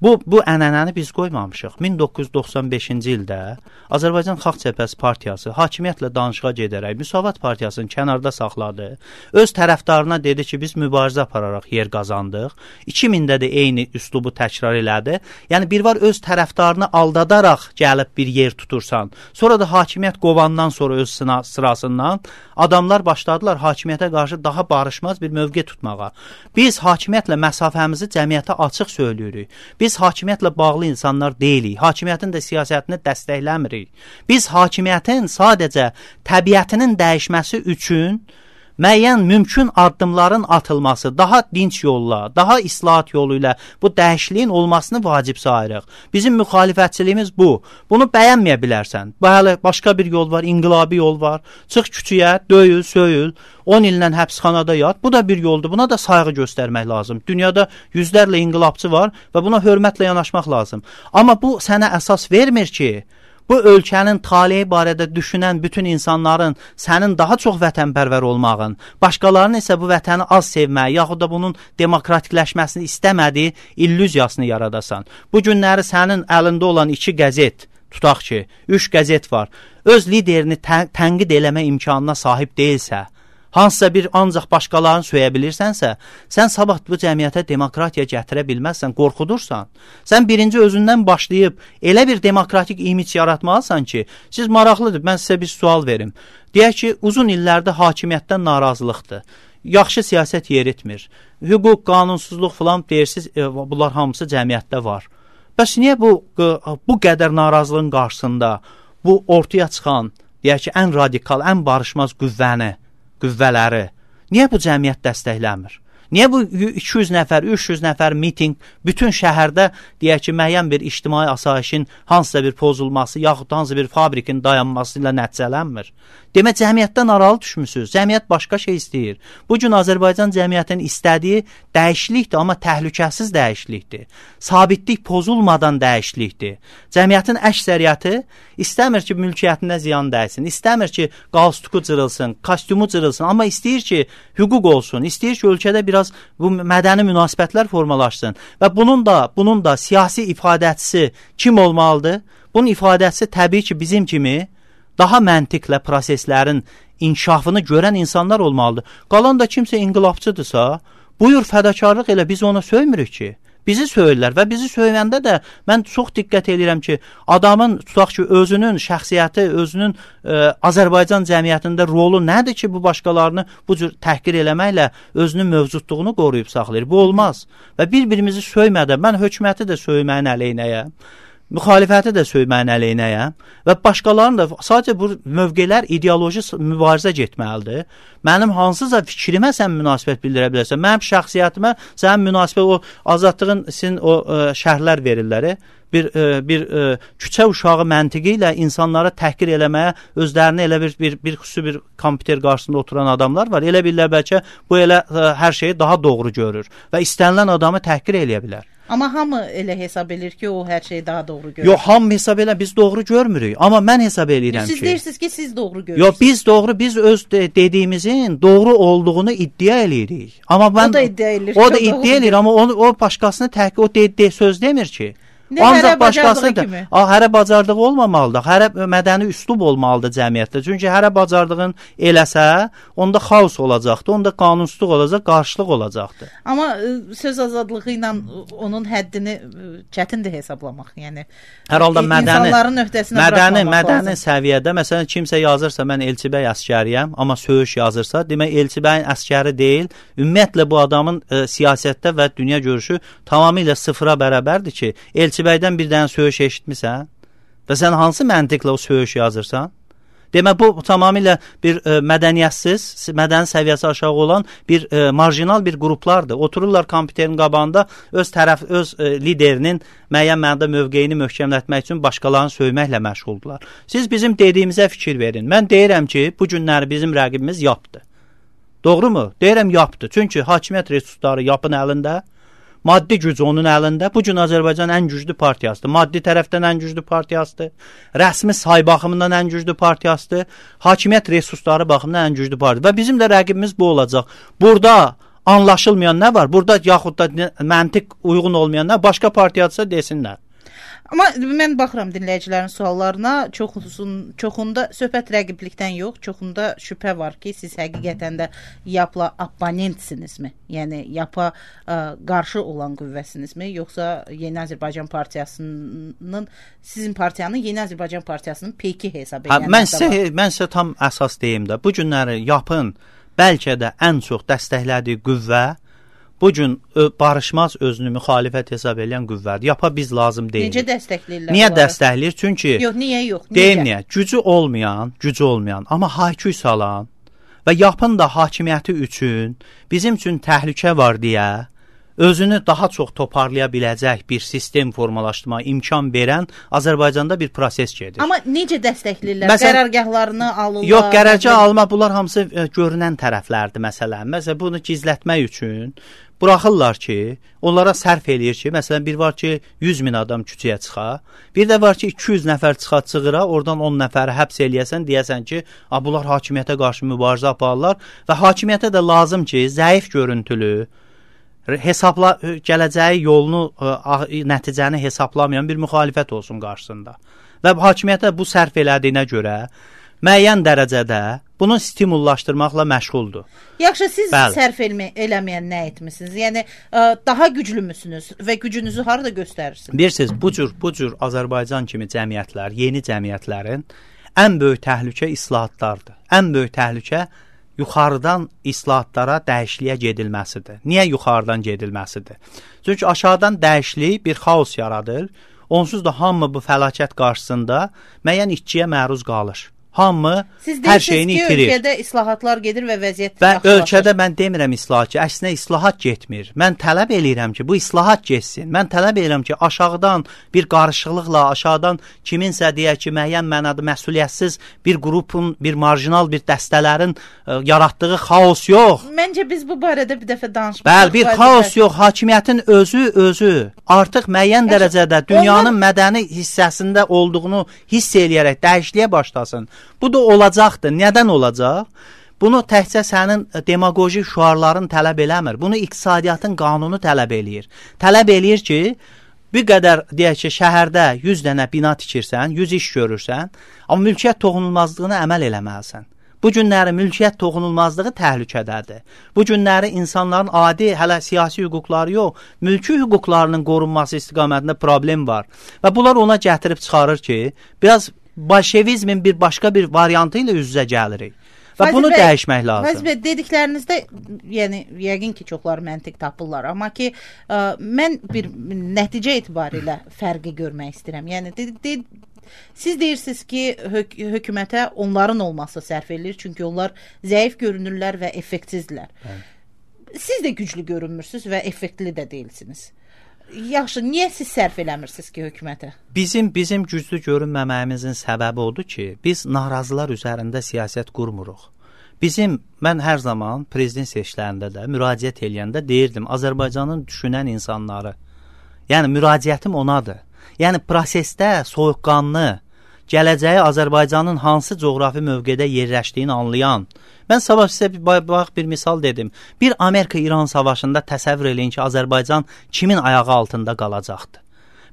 Bu ənənəni biz qoymamışıq. 1995-ci ildə Azərbaycan Xalq Cəbhəsi Partiyası hakimiyyətlə danışığa gedərək Müsavat Partiyasını kənarda saxladı. Öz tərəfdarına dedi ki, biz mübarizə apararaq yer qazandıq. 2000-də də eyni üslubu təkrar elədi. Yəni bir var öz tərəfdarını aldadaraq gəlib bir yer tutursan. Sonra da hakimiyyət qovandan sonra öz sırasından adamlar başladılar hakimiyyətə qarşı daha barışmaz bir mövqe tutmağa. Biz hakimiyyətlə məsafəmizi cəmiyyətə açıq söyləyirik. Biz hakimiyyətlə bağlı insanlar deyilik. Hakimiyyətin də siyasətini dəstəkləmirik. Biz hakimiyyətin sadəcə təbiətinin dəyişməsi üçün müəyyən mümkün addımların atılması, daha dinç yolla, daha islahat yolu ilə bu dəyişikliyin olmasını vacib sayırıq. Bizim müxalifətçiliyimiz bu. Bunu bəyənməyə bilərsən. Bəli, başqa bir yol var, inqilabi yol var. Çıx küçüyə, döyül, söyül, 10 illə həbsxanada yat. Bu da bir yoldur. Buna da sayğı göstərmək lazım. Dünyada yüzlərlə inqilabçı var və buna hörmətlə yanaşmaq lazım. Amma bu sənə əsas vermir ki, bu ölkənin taleyi barədə düşünən bütün insanların sənin daha çox vətənpərvər olmağın, başqalarının isə bu vətəni az sevməyi, yaxud da bunun demokratikləşməsini istəmədiyi illüziyasını yaradasan. Bu günləri sənin əlində olan 2 qəzet, tutaq ki, 3 qəzet var, öz liderini tənqid eləmə imkanına sahib deyilsə, hansısa bir ancaq başqalarını söyə bilirsənsə, sən sabah bu cəmiyyətə demokratiya gətirə bilməzsən, qorxudursan. Sən birinci özündən başlayıb elə bir demokratik imic yaratmalısan ki, siz maraqlıdır, mən sizə bir sual verim. Deyək ki, uzun illərdə hakimiyyətdən narazılıqdır. Yaxşı siyasət yeritmir. Hüquq, qanunsuzluq falan deyirsiniz, bunlar hamısı cəmiyyətdə var. Bəs niyə bu qədər narazılığın qarşısında bu ortaya çıxan, deyək ki, ən radikal, ən barışmaz qüvvələri, niyə bu cəmiyyət dəstəkləmir? Niyə bu 200 nəfər, 300 nəfər miting bütün şəhərdə deyək ki, müəyyən bir ictimai asayişin hansısa bir pozulması, yaxud hansısa bir fabrikin dayanması ilə nəticələnmir? Demək, cəmiyyətdən aralı düşmüsünüz. Cəmiyyət başqa şey istəyir. Bugün Azərbaycan cəmiyyətinin istədiyi dəyişiklikdir, amma təhlükəsiz dəyişiklikdir. Sabitlik pozulmadan dəyişiklikdir. Cəmiyyətin əksəriyyəti istəmir ki, mülkiyyətinə ziyan dəysin, istəmir ki, qalstuku cırılsın, kostyumu cırılsın, amma istəyir ki, hüquq olsun, istəyir ki, ölkədə biraz bu mədəni münasibətlər formalaşsın və bunun da siyasi ifadəçisi kim olmalıdır? Bunun ifadəçisi təbii ki, bizim kimi daha məntiqlə proseslərin inkişafını görən insanlar olmalıdır. Qalan da kimsə inqilabçıdırsa, buyur fədakarlıq elə, biz ona söymürük ki. Bizi söyürlər və bizi söyləyəndə də mən çox diqqət edirəm ki, adamın tutaq ki, özünün şəxsiyyəti, özünün Azərbaycan cəmiyyətində rolu nədir ki, bu başqalarını bu cür təhqir eləməklə özünün mövcudluğunu qoruyub saxlayır. Bu olmaz. Və bir-birimizi söymədən, mən hökuməti də söyməyin əleyhinəyəm, müxalifəti də söyməyin əleyhinəyəm və başqalarının da sadəcə bu mövqelər ideoloji mübarizə getməlidir. Mənim hansısa fikrimə sən münasibət bildirə bilərsən. Mənim şəxsiyyətimə sənin münasibət, o azadlığın sizin o şərhlər verirlər. Bir küçə uşağı məntiqi ilə insanlara təhqir eləməyə özlərini elə bir xüsusi bir kompüter qarşısında oturan adamlar var. Elə bilirlər bəlkə bu elə hər şeyi daha doğru görür və istənilən adamı təhqir eləyə bilər. Amma hamı elə hesab edir ki, o hər şeyi daha doğru görür. Yox, hamı hesab elə, biz doğru görmürük. Amma mən hesab eləyirəm ki... Siz deyirsiniz ki, siz doğru görürsünüz. Yox, biz öz dediyimizin doğru olduğunu iddia eləyirik. Amma o da iddia eləyir. O da iddia eləyir, amma o başqasını təhqir, o söz demir ki. Ancaq başqasıdır. Hərə bacardığı olmamalıdır. Hərə mədəni üslub olmalıdır cəmiyyətdə. Çünki hərə bacardığın eləsə, onda xaos olacaqdır, onda qanunsuzluq olacaq, qarşılıq olacaqdır. Amma söz azadlığı ilə onun həddini çətindir hesablamaq. Yəni hər halda insanların öhdəsinə buraxmamaq lazım. Mədəni səviyyədə, məsələn, kimsə yazırsa mən Elçibəy əsgəriyəm, amma söyüş yazırsa, demək Elçibəyin əsgəri deyil. Ümumiyyətlə bu adamın siyasətdə və dünya görüşü tamamilə sıfıra bərabərdir ki, Elçibəydən bir dənə söyüş eşitmisən və sən hansı məntiqlə o söyüş yazırsan? Demək, bu tamamilə bir mədəniyyətsiz, mədəni səviyyəsi aşağı olan bir marjinal bir qruplardır. Otururlar kompüterin qabağında öz liderinin müəyyən mənada mövqeyini möhkəmlətmək üçün başqalarını söyməklə məşğuldurlar. Siz bizim dediyimizə fikir verin. Mən deyirəm ki, bu günləri bizim rəqibimiz yapdı. Doğru mu? Deyirəm yapdı. Çünki hakimiyyət resursları yapın əlində, maddi güc onun əlində. Bu gün Azərbaycan ən güclü partiyasıdır. Maddi tərəfdən ən güclü partiyasıdır. Rəsmi say baxımından ən güclü partiyasıdır. Hakimiyyət resursları baxımından ən güclü partiyadır. Və bizim də rəqibimiz bu olacaq. Burada anlaşılmayan nə var? Burada yaxud da məntiq uyğun olmayan nə? Başqa partiyadırsa desinlər. Amma mən baxıram dinləyicilərin suallarına, çoxunda söhbət rəqiblikdən yox, çoxunda şübhə var ki, siz həqiqətən də YAP-la abonentsinizmi? Yəni YAP-a qarşı olan qüvvəsinizmi? Yoxsa Yeni Azərbaycan Partiyasının, sizin partiyanın Yeni Azərbaycan Partiyasının peyki hesab edənlər? Mən sizə tam əsas deyim də, bu günləri YAP-ın bəlkə də ən çox dəstəklədiyi qüvvə bu gün barışmaz özünü müxalifət hesab edən qüvvədir. YAP-a biz lazım deyil. Necə dəstəkləyirlər? Niyə dəstəkləyir? Çünki niyə yox? Deyim niyə? Gücü olmayan, amma hayküy salan və YAP-ın da hakimiyyəti üçün bizim üçün təhlükə var deyə özünü daha çox toparlaya biləcək bir sistem formalaşdırma imkan verən Azərbaycanda bir proses gedir. Amma necə dəstəkləyirlər? Qərargahlarını alırlar? Yox, qərargah alma, bunlar hamısı görünən tərəflərdir məsələn. Məsələn, bunu gizlətmək üçün buraxırlar ki, onlara sərf eləyir ki, məsələn, bir var ki, 100.000 adam küçəyə çıxa, bir də var ki, 200 nəfər çığıra, oradan 10 nəfəri həbs eləyəsən, deyəsən ki, bunlar hakimiyyətə qarşı mübarizə aparırlar və hakimiyyətə də lazım ki, zəif görüntülü, gələcəyi yolunu, nəticəni hesablamayan bir müxalifət olsun qarşısında. Və hakimiyyətə bu sərf elədiyinə görə müəyyən dərəcədə bunu stimullaşdırmaqla məşğuldur. Yaxşı, siz sərf eləməyən nə etmisiniz? Yəni, daha güclü müsünüz və gücünüzü harada göstərirsiniz? Bilirsiniz, bu cür Azərbaycan kimi cəmiyyətlər, yeni cəmiyyətlərin ən böyük təhlükə islahatlardır. Ən böyük təhlükə yuxarıdan islahatlara, dəyişikliyə gedilməsidir. Niyə yuxarıdan gedilməsidir? Çünki aşağıdan dəyişiklik bir xaos yaradır. Onsuz da hamı bu fəlakət qarşısında müəyyən itkiyə məruz qalır. Hamı hər şeyini itirir. Siz deyirsiniz ki, ölkədə islahatlar gedir və vəziyyət yaxşılaşır. Və ölkədə mən demirəm islahat ki, əksinə islahat getmir. Mən tələb eləyirəm ki, bu islahat getsin. Mən tələb eləyirəm ki, aşağıdan bir qarışıqlıqla, aşağıdan kiminsə deyək ki, müəyyən mənada məsuliyyətsiz bir qrupun, bir marjinal bir dəstələrin yaratdığı xaos yox. Məncə biz bu barədə bir dəfə danışmışıq. Bəli, bir xaos yox. Hakimiyyətin özü artıq müəyyən dərəcədə dünyanın mədəni hissəsində olduğunu hiss eləyərək dəyişikliyə başlasın. Bu da olacaqdır. Nədən olacaq? Bunu təkcə sənin demagoji şüarların tələb eləmir. Bunu iqtisadiyyatın qanunu tələb eləyir. Tələb eləyir ki, bir qədər deyək ki, şəhərdə 100 dənə bina tikirsən, 100 iş görürsən, amma mülkiyyət toxunulmazlığına əməl eləməlisən. Bu günləri mülkiyyət toxunulmazlığı təhlükədədir. Bu günləri insanların adi, hələ siyasi hüquqları yox, mülki hüquqlarının qorunması istiqamətində problem var. Və bunlar ona gətirib çıxarır ki, biraz bolşevizmin bir başqa bir variantı ilə üz-üzə gəlirik. Və bunu dəyişmək lazım. Fəzil bəy, dediklərinizdə, yəni, yəqin ki, çoxları məntiq tapırlar. Amma ki, mən bir nəticə etibarilə fərqi görmək istəyirəm. Yəni, siz deyirsiniz ki, hökumətə onların olması sərf edilir, çünki onlar zəif görünürlər və effektsizdirlər. Siz də güclü görünmürsünüz və effektli də deyilsiniz. Yaxşı, niyə siz sərf eləmirsiniz ki, hökumətə? Bizim güclü görünməməyimizin səbəbi odur ki, biz narazılar üzərində siyasət qurmuruq. Mən hər zaman prezident seçkilərində də müraciət eləyəndə deyirdim, Azərbaycanın düşünən insanları, yəni müraciətim onadır. Yəni prosesdə soyuqqanlı, gələcəyi Azərbaycanın hansı coğrafi mövqedə yerləşdiyini anlayan, mən sabah sizə bir misal dedim. Bir Amerika-İran savaşında təsəvvür eləyin ki, Azərbaycan kimin ayağı altında qalacaqdı?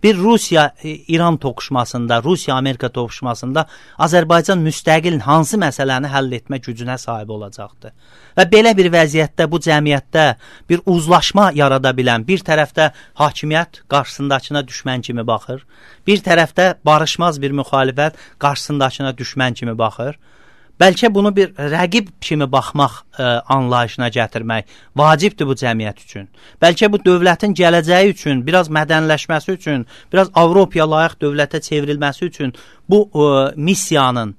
Bir Rusiya-İran toqquşmasında, Rusiya-Amerika toqquşmasında Azərbaycan müstəqil hansı məsələni həll etmə gücünə sahib olacaqdı? Və belə bir vəziyyətdə bu cəmiyyətdə bir uzlaşma yarada bilən, bir tərəfdə hakimiyyət qarşısındakına düşmən kimi baxır, bir tərəfdə barışmaz bir müxalifət qarşısındakına düşmən kimi baxır. Bəlkə bunu bir rəqib kimi baxmaq anlayışına gətirmək vacibdir bu cəmiyyət üçün. Bəlkə bu dövlətin gələcəyi üçün, biraz mədənləşməsi üçün, biraz Avropaya layiq dövlətə çevrilməsi üçün bu missiyanın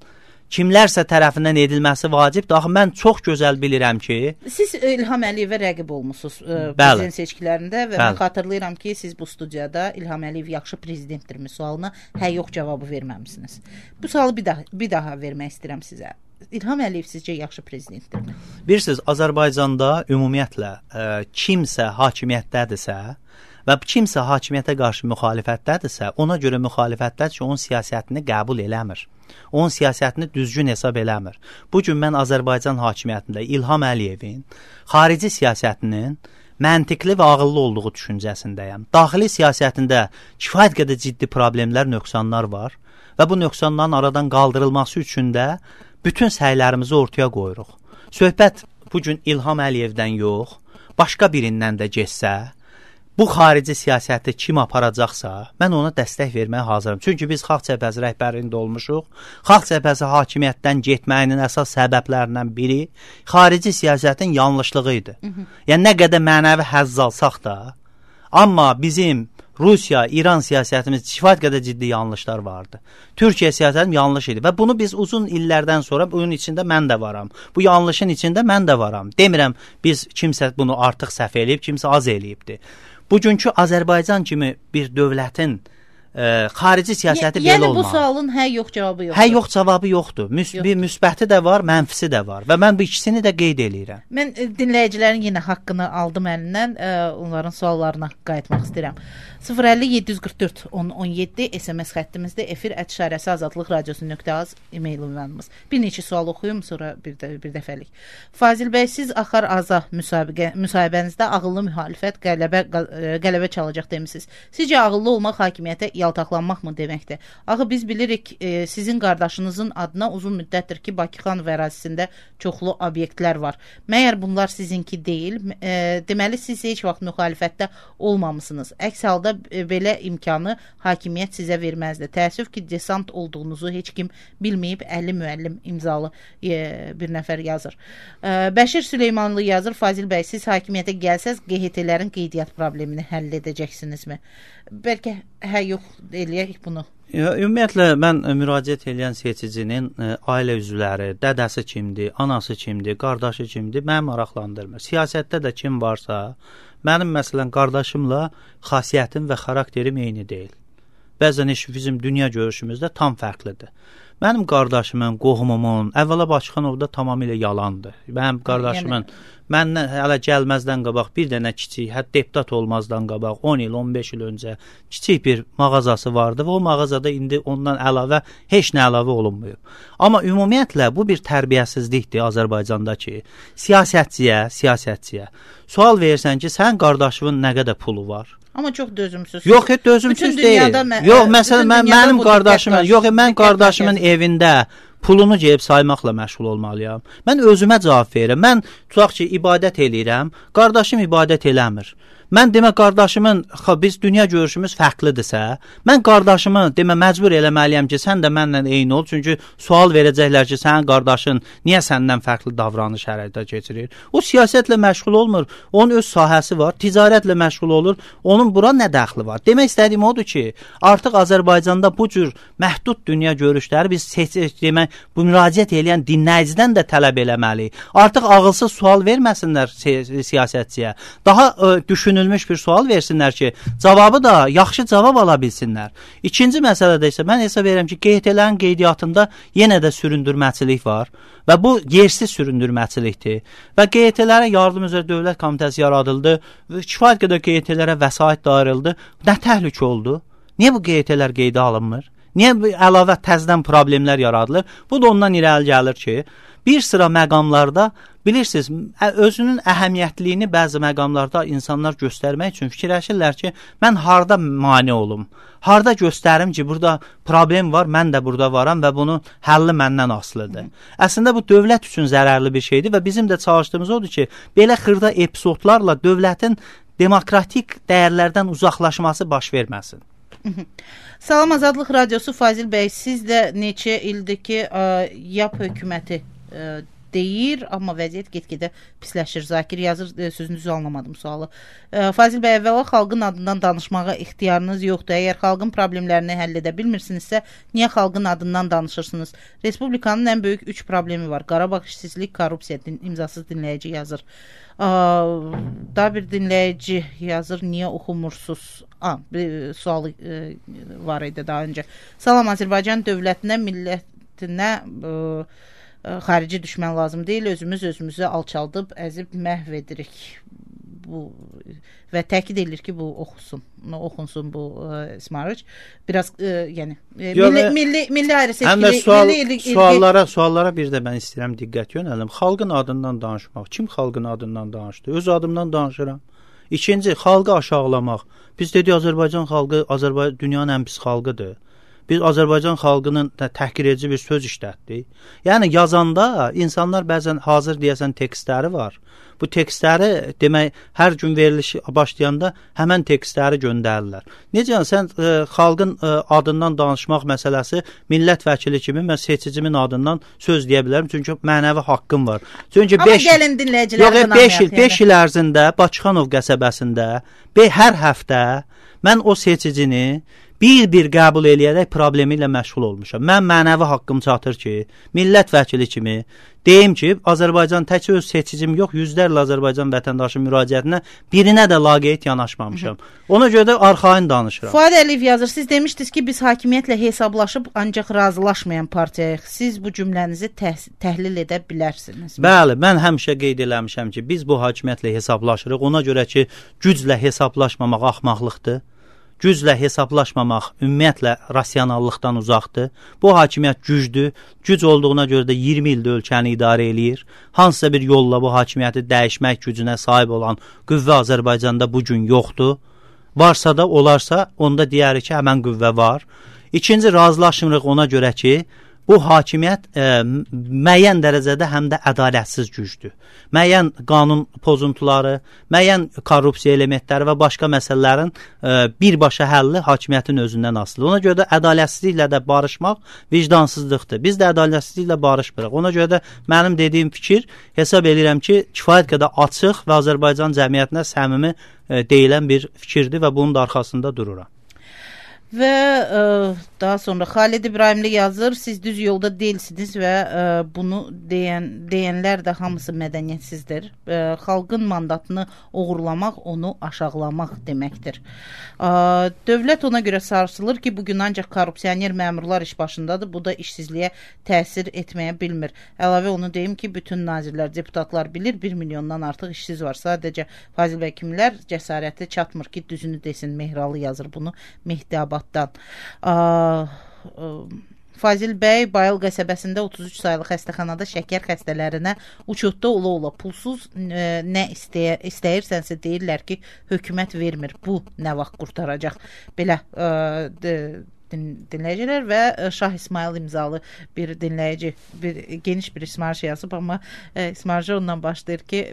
kimlərsə tərəfindən edilməsi vacibdir. Axı mən çox gözəl bilirəm ki... Siz İlham Əliyevə rəqib olmusunuz prezident seçkilərində və mən xatırlayıram ki, siz bu studiyada İlham Əliyev yaxşı prezidentdirmi sualına yox cavabı verməmisiniz. Bu sualı bir daha vermək istəyirəm sizə. İlham Əliyev sizcə yaxşı prezidentdirmi? Bilirsiniz, Azərbaycanda ümumiyyətlə kimsə hakimiyyətdədirsə və kimsə hakimiyyətə qarşı müxalifətdədirsə, ona görə müxalifətdədir ki, onun siyasətini qəbul eləmir. Onun siyasətini düzgün hesab eləmir. Bugün mən Azərbaycan hakimiyyətində İlham Əliyevin xarici siyasətinin məntiqli və ağıllı olduğu düşüncəsindəyəm. Daxili siyasətində kifayət qədər ciddi problemlər, nöqsanlar var və bu nöqsanların aradan qaldırılması üçün də bütün səylərimizi ortaya qoyuruq. Söhbət bugün İlham Əliyevdən yox, başqa birindən də getsə, bu xarici siyasəti kim aparacaqsa, mən ona dəstək verməyə hazırım. Çünki biz Xalq Cəbhəsi rəhbərliyində olmuşuq. Xalq Cəbhəsi hakimiyyətdən getməyinin əsas səbəblərindən biri xarici siyasətin yanlışlığı idi. Yəni, nə qədər mənəvi həzz alsaq da, amma bizim Rusiya, İran siyasətimiz kifayət qədər ciddi yanlışlar vardı. Türkiyə siyasətim yanlış idi və bunu biz uzun illərdən sonra bunun içində mən də varam. Bu yanlışın içində mən də varam. Demirəm, biz kimsə bunu artıq səhv eləyib, kimsə az eləyibdir. Bugünkü Azərbaycan kimi bir dövlətin xarici siyasəti belə olmalı. Yəni bu sualın yox cavabı yoxdur. Yox cavabı yoxdur. Bir müsbəti də var, mənfisi də var və mən bu ikisini də qeyd eləyirəm. Mən dinləyicilərin yenə haqqını aldım əlindən, onların suallarına qayıtmaq istəyirəm. 050-744-1017 SMS xəttimizdə efir@azadlıqradiosu.az e-mail ünvanımız. Bir neçə sual oxuyum, sonra bir dəfəlik. Fazil bəy, siz Axar Aza müsahibənizdə ağıllı müxalifət qələbə çalacaq demisiniz. Sizcə ağıllı olmaq hakimiyyətə yaltaqlanmaqmı deməkdir? Axı biz bilirik, sizin qardaşınızın adına uzun müddətdir ki, Bakıxanov ərazisində çoxlu obyektlər var. Məyər bunlar sizinki deyil? Deməli, siz heç vaxt müxalifətdə olmamısınız. Əks halda belə imkanı hakimiyyət sizə verməzdi. Təəssüf ki, desant olduğunuzu heç kim bilməyib, 50 müəllim imzalı bir nəfər yazır. Bəşir Süleymanlı yazır, Fazil bəy, siz hakimiyyətə gəlsəz, QHT-lərin qeydiyyat problemini həll edəcəksinizmi? Bəlkə yox eləyək bunu. Ümumiyyətlə, mən müraciət edən seçicinin ailə üzvləri, dədəsi kimdir, anası kimdir, qardaşı kimdir, məni maraqlandırmır. Siyasətdə də kim varsa, mənim məsələn qardaşımla xasiyyətim və xarakterim eyni deyil. Bəzən bizim dünya görüşümüzdə tam fərqlidir. Mənim qardaşımın, qohumumun, əvvəla Bakıxanovda tamamilə yalandır. Mənim qardaşımın məndən hələ gəlməzdən qabaq bir dənə kiçik, hətta deputat olmazdan qabaq 10 il, 15 il öncə kiçik bir mağazası vardı və o mağazada indi ondan əlavə heç nə əlavə olunmuyor. Amma ümumiyyətlə bu bir tərbiyəsizlikdir Azərbaycandakı siyasətçiyə sual verirsən ki, sənin qardaşının nə qədər pulu var? Amma çox dözümsüz. Yox, dözümsüz deyil. Yox, məsələn, mənim qardaşımın, mən qardaşımın evində pulunu gəlib saymaqla məşğul olmalıyam. Mən özümə cavab verirəm. Mən tutaq ki, ibadət eləyirəm, qardaşım ibadət eləmir. Mən demə qardaşımın, biz dünya görüşümüz fərqlidirsə, mən qardaşımı demə məcbur eləməliyəm ki, sən də mənlə eyni ol. Çünki sual verəcəklər ki, sənin qardaşın niyə səndən fərqli davranış hərəkətə keçirir? O siyasətlə məşğul olmur, onun öz sahəsi var, ticarətlə məşğul olur, onun bura nə dəxli var? Demək istədiyim odur ki, artıq Azərbaycanda bu cür məhdud dünya görüşləri biz demək, bu müraciət edən dinləyicidən də tələb eləməliyik. Artıq ağılsız sual verməsinlər siyasətçiyə. Daha düşünün bir sual versinlər ki, cavabı da yaxşı cavab ala bilsinlər. İkinci məsələdə isə mən hesab edirəm ki, QHT-lərin qeydiyyatında yenə də süründürməçilik var və bu yersiz süründürməçilikdir. Və QHT-lərə yardım üzrə dövlət komitəsi yaradıldı və kifayət qədər QHT-lərə vəsait da ayrıldı. Nə təhlükə oldu? Niyə bu QHT-lər qeydə alınmır? Niyə əlavə təzədən problemlər yaradılır? Bu da ondan irəli gəlir ki, bir sıra məqamlarda bilirsiniz, özünün əhəmiyyətliyini bəzi məqamlarda insanlar göstərmək üçün fikirləşirlər ki, mən harda mane olum, harda göstərim ki, burada problem var, mən də burada varam və bunun həlli məndən asılıdır. Əslində bu dövlət üçün zərərli bir şeydir və bizim də çalışdığımız odur ki, belə xırda epizodlarla dövlətin demokratik dəyərlərdən uzaqlaşması baş verməsin. Salam Azadlıq Radiosu, Fazil bəy, siz də neçə ildir ki, YAP hökuməti deyir, amma vəziyyət get-gedə pisləşir. Zakir yazır, sözünüzü anlamadım sualı. Fazil bəy, əvvəla xalqın adından danışmağa ixtiyarınız yoxdur. Əgər xalqın problemlərini həll edə bilmirsinizsə, niyə xalqın adından danışırsınız? Respublikanın ən böyük 3 problemi var. Qarabağ işsizlik, korrupsiya, imzasız dinləyici yazır. Daha bir dinləyici yazır, niyə oxumursuz? Bir sualı var idi daha öncə. Salam, Azərbaycan dövlətinə, millətinə xarici düşmən lazım deyil, özümüzü alçaldıb, əzib məhv edirik. Və təkid edilir ki, bu oxunsun bu ismarıc. Biraz, yəni, milli ayrı seçkili... Suallara bir də mən istəyirəm diqqət yönəlim. Xalqın adından danışmaq. Kim xalqın adından danışdı? Öz adımdan danışıram. İkinci, xalqı aşağılamaq. Biz dedik, Azərbaycan xalqı, dünyanın ən pis xalqıdır. Biz Azərbaycan xalqının təhqir edici bir söz işlətdik. Yəni, yazanda insanlar bəzən hazır deyəsən tekstləri var. Bu tekstləri demək, hər gün veriliş başlayanda həmən tekstləri göndərirlər. Necə, sən xalqın adından danışmaq məsələsi millət vəkili kimi mən seçicimin adından söz deyə bilərəm. Çünki mənəvi haqqım var. Çünki amma gəlin dinləyicilərdən 5 il ərzində Bakıxanov qəsəbəsində hər həftə mən o seçicini bir qəbul eləyərək problemi ilə məşğul olmuşam. Mən mənəvi haqqım çatır ki, millət vəkili kimi deyim ki, Azərbaycan təkcə öz seçicim yox, yüzlərlə Azərbaycan vətəndaşın müraciətinə birinə də laqeyd yanaşmamışam. Ona görə də arxain danışıram. Fuad Əliyev yazır, siz demişdiniz ki, biz hakimiyyətlə hesablaşıb ancaq razılaşmayan partiyayıq. Siz bu cümlənizi təhlil edə bilərsiniz. Bəli, mən həmişə qeyd eləmişəm ki, biz bu hakimiyyətlə hesablaşırıq. Ona görə ki, güclə hesablaşmamaq axmaqlıqdır. Güclə hesablaşmamaq ümumiyyətlə rasionallıqdan uzaqdır. Bu hakimiyyət gücdür. Güc olduğuna görə də 20 ildə ölkəni idarə eləyir. Hansısa bir yolla bu hakimiyyəti dəyişmək gücünə sahib olan qüvvə Azərbaycanda bu gün yoxdur. Varsa da, olarsa, onda deyərik ki, həmən qüvvə var. İkinci, razılaşmırıq ona görə ki, bu hakimiyyət müəyyən dərəcədə həm də ədalətsiz gücdür. Müəyyən qanun pozuntuları, müəyyən korrupsiya elementləri və başqa məsələlərin birbaşa həlli hakimiyyətin özündən asılıdır. Ona görə də ədalətsizliklə də barışmaq vicdansızlıqdır. Biz də ədalətsizliklə barışmırıq. Ona görə də mənim dediyim fikir hesab edirəm ki, kifayət qədər açıq və Azərbaycan cəmiyyətinə səmimi deyilən bir fikirdir və bunun da arxasında dururam. Və daha sonra Xalid İbrahimli yazır, siz düz yolda deyilsiniz və bunu deyənlər də hamısı mədəniyyətsizdir. Xalqın mandatını oğurlamaq, onu aşağılamaq deməkdir. Dövlət ona görə sarsılır ki, bugün ancaq korrupsioner məmurlar iş başındadır. Bu da işsizliyə təsir etməyə bilmir. Əlavə onu deyim ki, bütün nazirlər, deputatlar bilir, 1 milyondan artıq işsiz var. Sadəcə Fazil bəy kimlər cəsarəti çatmır ki, düzünü desin. Mehralı yazır bunu Mehdiabad. Fazil bəy Bayıl qəsəbəsində 33 saylı xəstəxanada şəkər xəstələrinə uçotda ola-ola pulsuz nə istəyirsənsə deyirlər ki, hökumət vermir. Bu nə vaxt qurtaracaq? Belə dinləyicilər və Şah İsmail imzalı bir dinləyici geniş bir ismarış yazıb, amma ismarıcı ondan başlayır ki,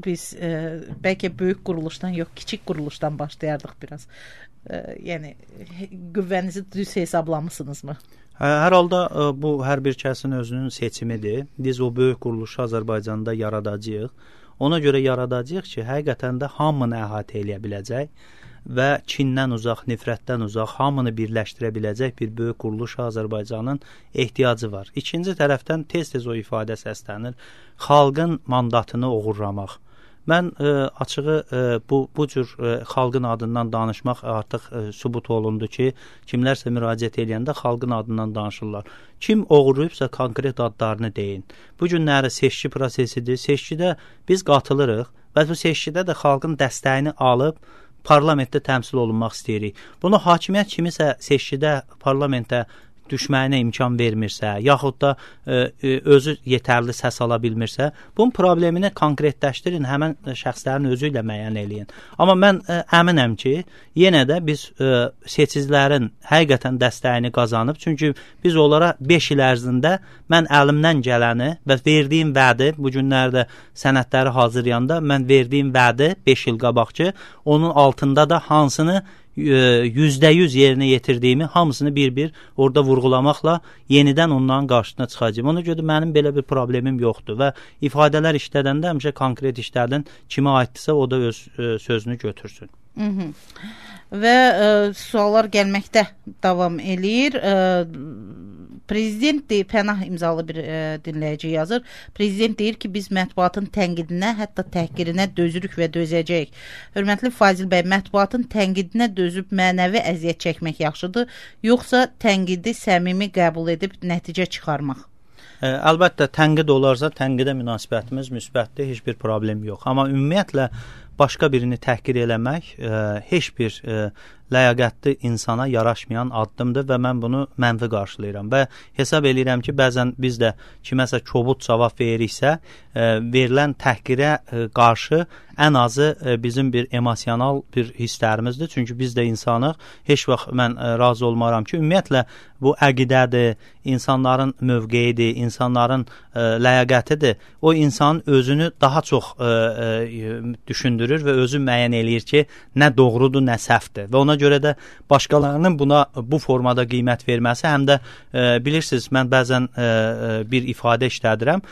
biz bəlkə böyük quruluşdan yox, kiçik quruluşdan başlayardıq biraz. Yəni, qüvvənizi düz hesablamısınızmı? Hər halda bu hər bir kəsin özünün seçimidir. Biz o böyük quruluşu Azərbaycanda yaradacağıq. Ona görə yaradacağıq ki, həqiqətən də hamını əhatə eləyə biləcək və kindən uzaq, nifrətdən uzaq, hamını birləşdirə biləcək bir böyük quruluş Azərbaycanın ehtiyacı var. İkinci tərəfdən tez-tez o ifadə səslənir, xalqın mandatını oğurlamaq. Mən açığı bu cür xalqın adından danışmaq artıq sübut olundu ki, kimlərsə müraciət edəndə xalqın adından danışırlar. Kim oğurlayıbsa konkret adlarını deyin. Bu günləri seçki prosesidir. Seçkidə biz qatılırıq və bu seçkidə də xalqın dəstəyini alıb parlamentdə təmsil olunmaq istəyirik. Bunu hakimiyyət kimisə seçkidə parlamentə düşməyinə imkan vermirsə, yaxud da özü yetərli səs ala bilmirsə, bunun problemini konkretləşdirin, həmən şəxslərin özü ilə müəyyən eləyin. Amma mən əminəm ki, yenə də biz seçicilərin həqiqətən dəstəyini qazanıb, çünki biz onlara 5 il ərzində mən əlimdən gələni və verdiyim vədi, bu günlərdə sənədləri hazırlayanda mən verdiyim vədi 5 il qabaqçı, onun altında da hansını %100 yerinə yetirdiyimi hamısını bir-bir orada vurğulamaqla yenidən onların qarşısına çıxacağım. Ona görə mənim belə bir problemim yoxdur və ifadələr işlədəndə həmişə konkret işlərdən kimə aiddirsə o da öz sözünü götürsün. Və suallar gəlməkdə davam eləyir. Prezident deyir, Pənah imzalı bir dinləyici yazır. Prezident deyir ki, biz mətbuatın tənqidinə, hətta təhqirinə dözürük və dözəcəyik. Hörmətli Fazil bəy, mətbuatın tənqidinə dözüb mənəvi əziyyət çəkmək yaxşıdır, yoxsa tənqidi səmimi qəbul edib nəticə çıxarmaq? Əlbəttə, tənqid olarsa, tənqidə münasibətimiz müsbətdir, heç bir problem yox. Amma ümumiyyətlə, başqa birini təhqir eləmək heç bir ləyaqətli insana yaraşmayan addımdır və mən bunu mənfi qarşılayıram və hesab eləyirəm ki, bəzən biz də kiməsə kobud cavab veririksə, verilən təhqirə qarşı ən azı bizim bir emosional bir hisslərimizdir. Çünki biz də insanıq. Heç vaxt mən razı olmaram ki, ümumiyyətlə bu əqidədir, insanların mövqeyidir, insanların ləyaqətidir. O insanın özünü daha çox düşündürür və özü müəyyən eləyir ki, nə doğrudur, nə səhvdir. Və ona görə də başqalarının buna bu formada qiymət verməsi, həm də bilirsiniz, mən bəzən bir ifadə işlədirəm.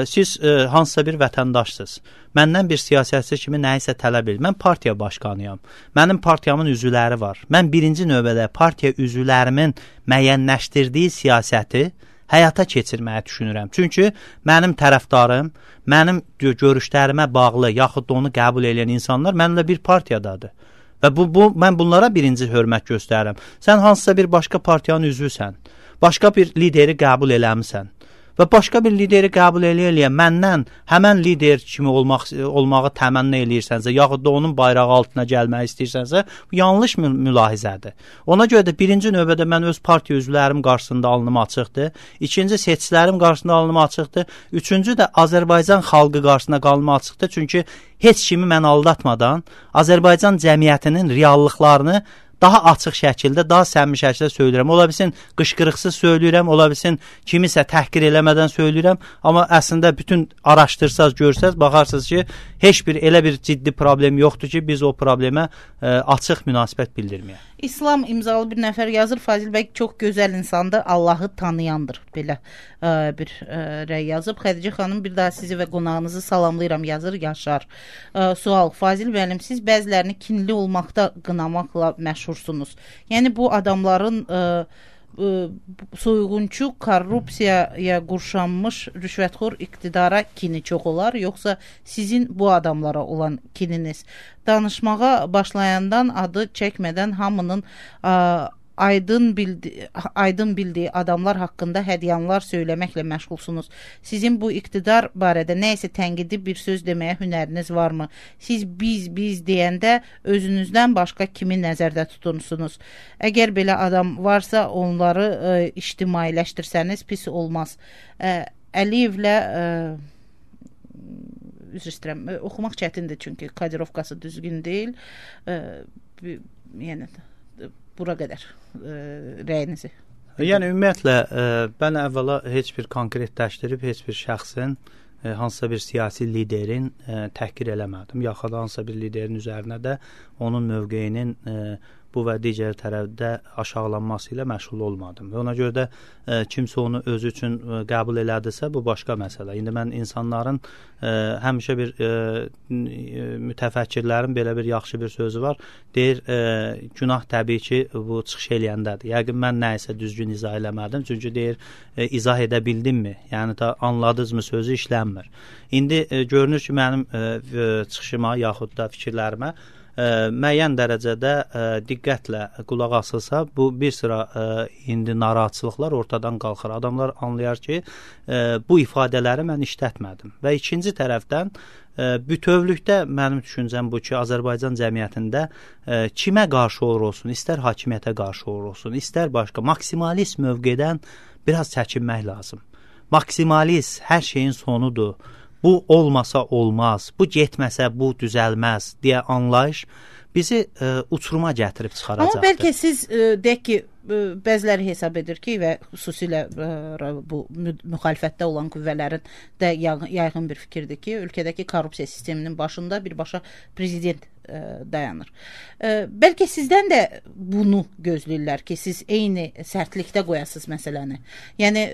Siz hansısa bir vətəndaşsınız. Məndən bir siyasətçi kimi nəyisə tələb edir. Mən partiya başqanıyam. Mənim partiyamın üzvləri var. Mən birinci növbədə partiya üzvlərimin müəyyənləşdirdiyi siyasəti həyata keçirməyə düşünürəm. Çünki mənim tərəfdarım, mənim görüşlərimə bağlı, yaxud da onu qəbul edən insanlar mənimlə bir partiyadadır. Və mən bunlara birinci hörmət göstərirəm. Sən hansısa bir başqa partiyanın üzvüsən, başqa bir lideri qəbul eləmisən və başqa bir lideri qəbul eləyə məndən həmən lider kimi olmağı təmənna eləyirsənsə, yaxud da onun bayrağı altına gəlmək istəyirsənsə, bu yanlış mülahizədir. Ona görə də birinci növbədə mən öz partiya üzvlərim qarşısında alnım açıqdır, ikinci seçicilərim qarşısında alnım açıqdır, üçüncü də Azərbaycan xalqı qarşısında alnım açıqdır, çünki heç kimi mən aldatmadan Azərbaycan cəmiyyətinin reallıqlarını daha açıq şəkildə, daha səmimi şəkildə söyləyirəm. Ola bilsin qışqırıqsız söyləyirəm, ola bilsin kimisə təhqir eləmədən söyləyirəm, amma əslində bütün araşdırsaz, görsəz, baxarsınız ki, heç bir elə bir ciddi problem yoxdur ki, biz o problemə açıq münasibət bildirməyək. İslam imzalı bir nəfər yazır, Fazil bəy çox gözəl insandır, Allahı tanıyandır, belə bir rəy yazıb. Xədicə xanım, bir daha sizi və qonağınızı salamlayıram, yazır Yaşar. Sual, Fazil bəyəm, siz bəzilərini kinli olmaqda qınamaqla məşhursunuz. Yəni bu adamların soyğunçu, korrupsiyaya qurşanmış rüşvətxor iqtidara kini çox olar, yoxsa sizin bu adamlara olan kininiz? Danışmağa başlayandan adı çəkmədən hamının aydın bildiyi adamlar haqqında hədyanlar söyləməklə məşğulsunuz. Sizin bu iqtidar barədə nəyəsə tənqidi bir söz deməyə hünəriniz varmı? Siz biz deyəndə özünüzdən başqa kimi nəzərdə tutursunuz? Əgər belə adam varsa, onları ictimailəşdirsəniz pis olmaz. Əliyevlə üzr istəyirəm, oxumaq çətindir, çünki kodirovkası düzgün deyil. Yəni bura qədər rəyinizi. Yəni ümumiyyətlə mən əvvəla heç bir konkretləşdirib heç bir şəxsin, hansısa bir siyasi liderin təhqir eləmədim. Yaxud hansısa bir liderin üzərinə də onun mövqeyinin bu və digər tərəfdə aşağılanması ilə məşğul olmadım. Və ona görə də kimsə onu özü üçün qəbul elədirsə, bu başqa məsələ. İndi mən insanların həmişə bir mütəfəkkirlərin belə bir yaxşı bir sözü var. Deyir, günah təbii ki, bu çıxış eləyəndədir. Yəqin mən nəyisə düzgün izah eləmədim. Çünki deyir, izah edə bildimmi? Yəni da anladınızmı sözü işlənmir. İndi görünür ki, mənim çıxışıma yaxud da fikirlərimə müəyyən dərəcədə diqqətlə qulaq asılsa, bu bir sıra indi narahatçılıqlar ortadan qalxır. Adamlar anlayar ki, bu ifadələri mən işlətmədim. Və ikinci tərəfdən bütövlükdə mənim düşüncəm bu ki, Azərbaycan cəmiyyətində kimə qarşı olur olsun, istər hakimiyyətə qarşı olur olsun, istər başqa maksimalist mövqedən biraz çəkinmək lazım. Maksimalist hər şeyin sonudur. Bu olmasa olmaz, bu getməsə bu düzəlməz deyə anlayış bizi uçuruma gətirib çıxaracaqdır. Amma bəlkə siz deyək ki, bəziləri hesab edir ki və xüsusilə bu müxalifətdə olan qüvvələrin də yaygın bir fikirdir ki, ölkədəki korrupsiya sisteminin başında birbaşa prezident dayanır. Bəlkə sizdən də bunu gözləyirlər ki, siz eyni sərtlikdə qoyasınız məsələni. Yəni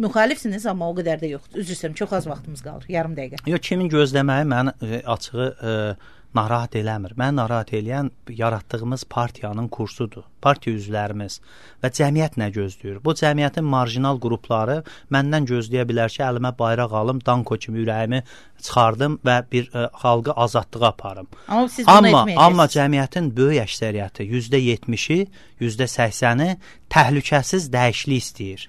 müxalifsiniz, amma o qədər də yoxdur. Üzr istəyirəm, çox az vaxtımız qalır, yarım dəqiqə. Yox, kimin gözləməyi məni açığı narahat eləmir. Məni narahat eləyən yaratdığımız partiyanın kursudur. Partiya üzvlərimiz və cəmiyyət nə gözləyir? Bu cəmiyyətin marjinal qrupları məndən gözləyə bilər ki, əlimə bayraq alım, danko kimi ürəyimi çıxardım və bir xalqı azadlığa aparım. Amma siz bunu etməyəcəksiniz. Amma cəmiyyətin böyük əksəriyyəti, %70-i, %80-i təhlükəsiz dəyişiklik istəyir.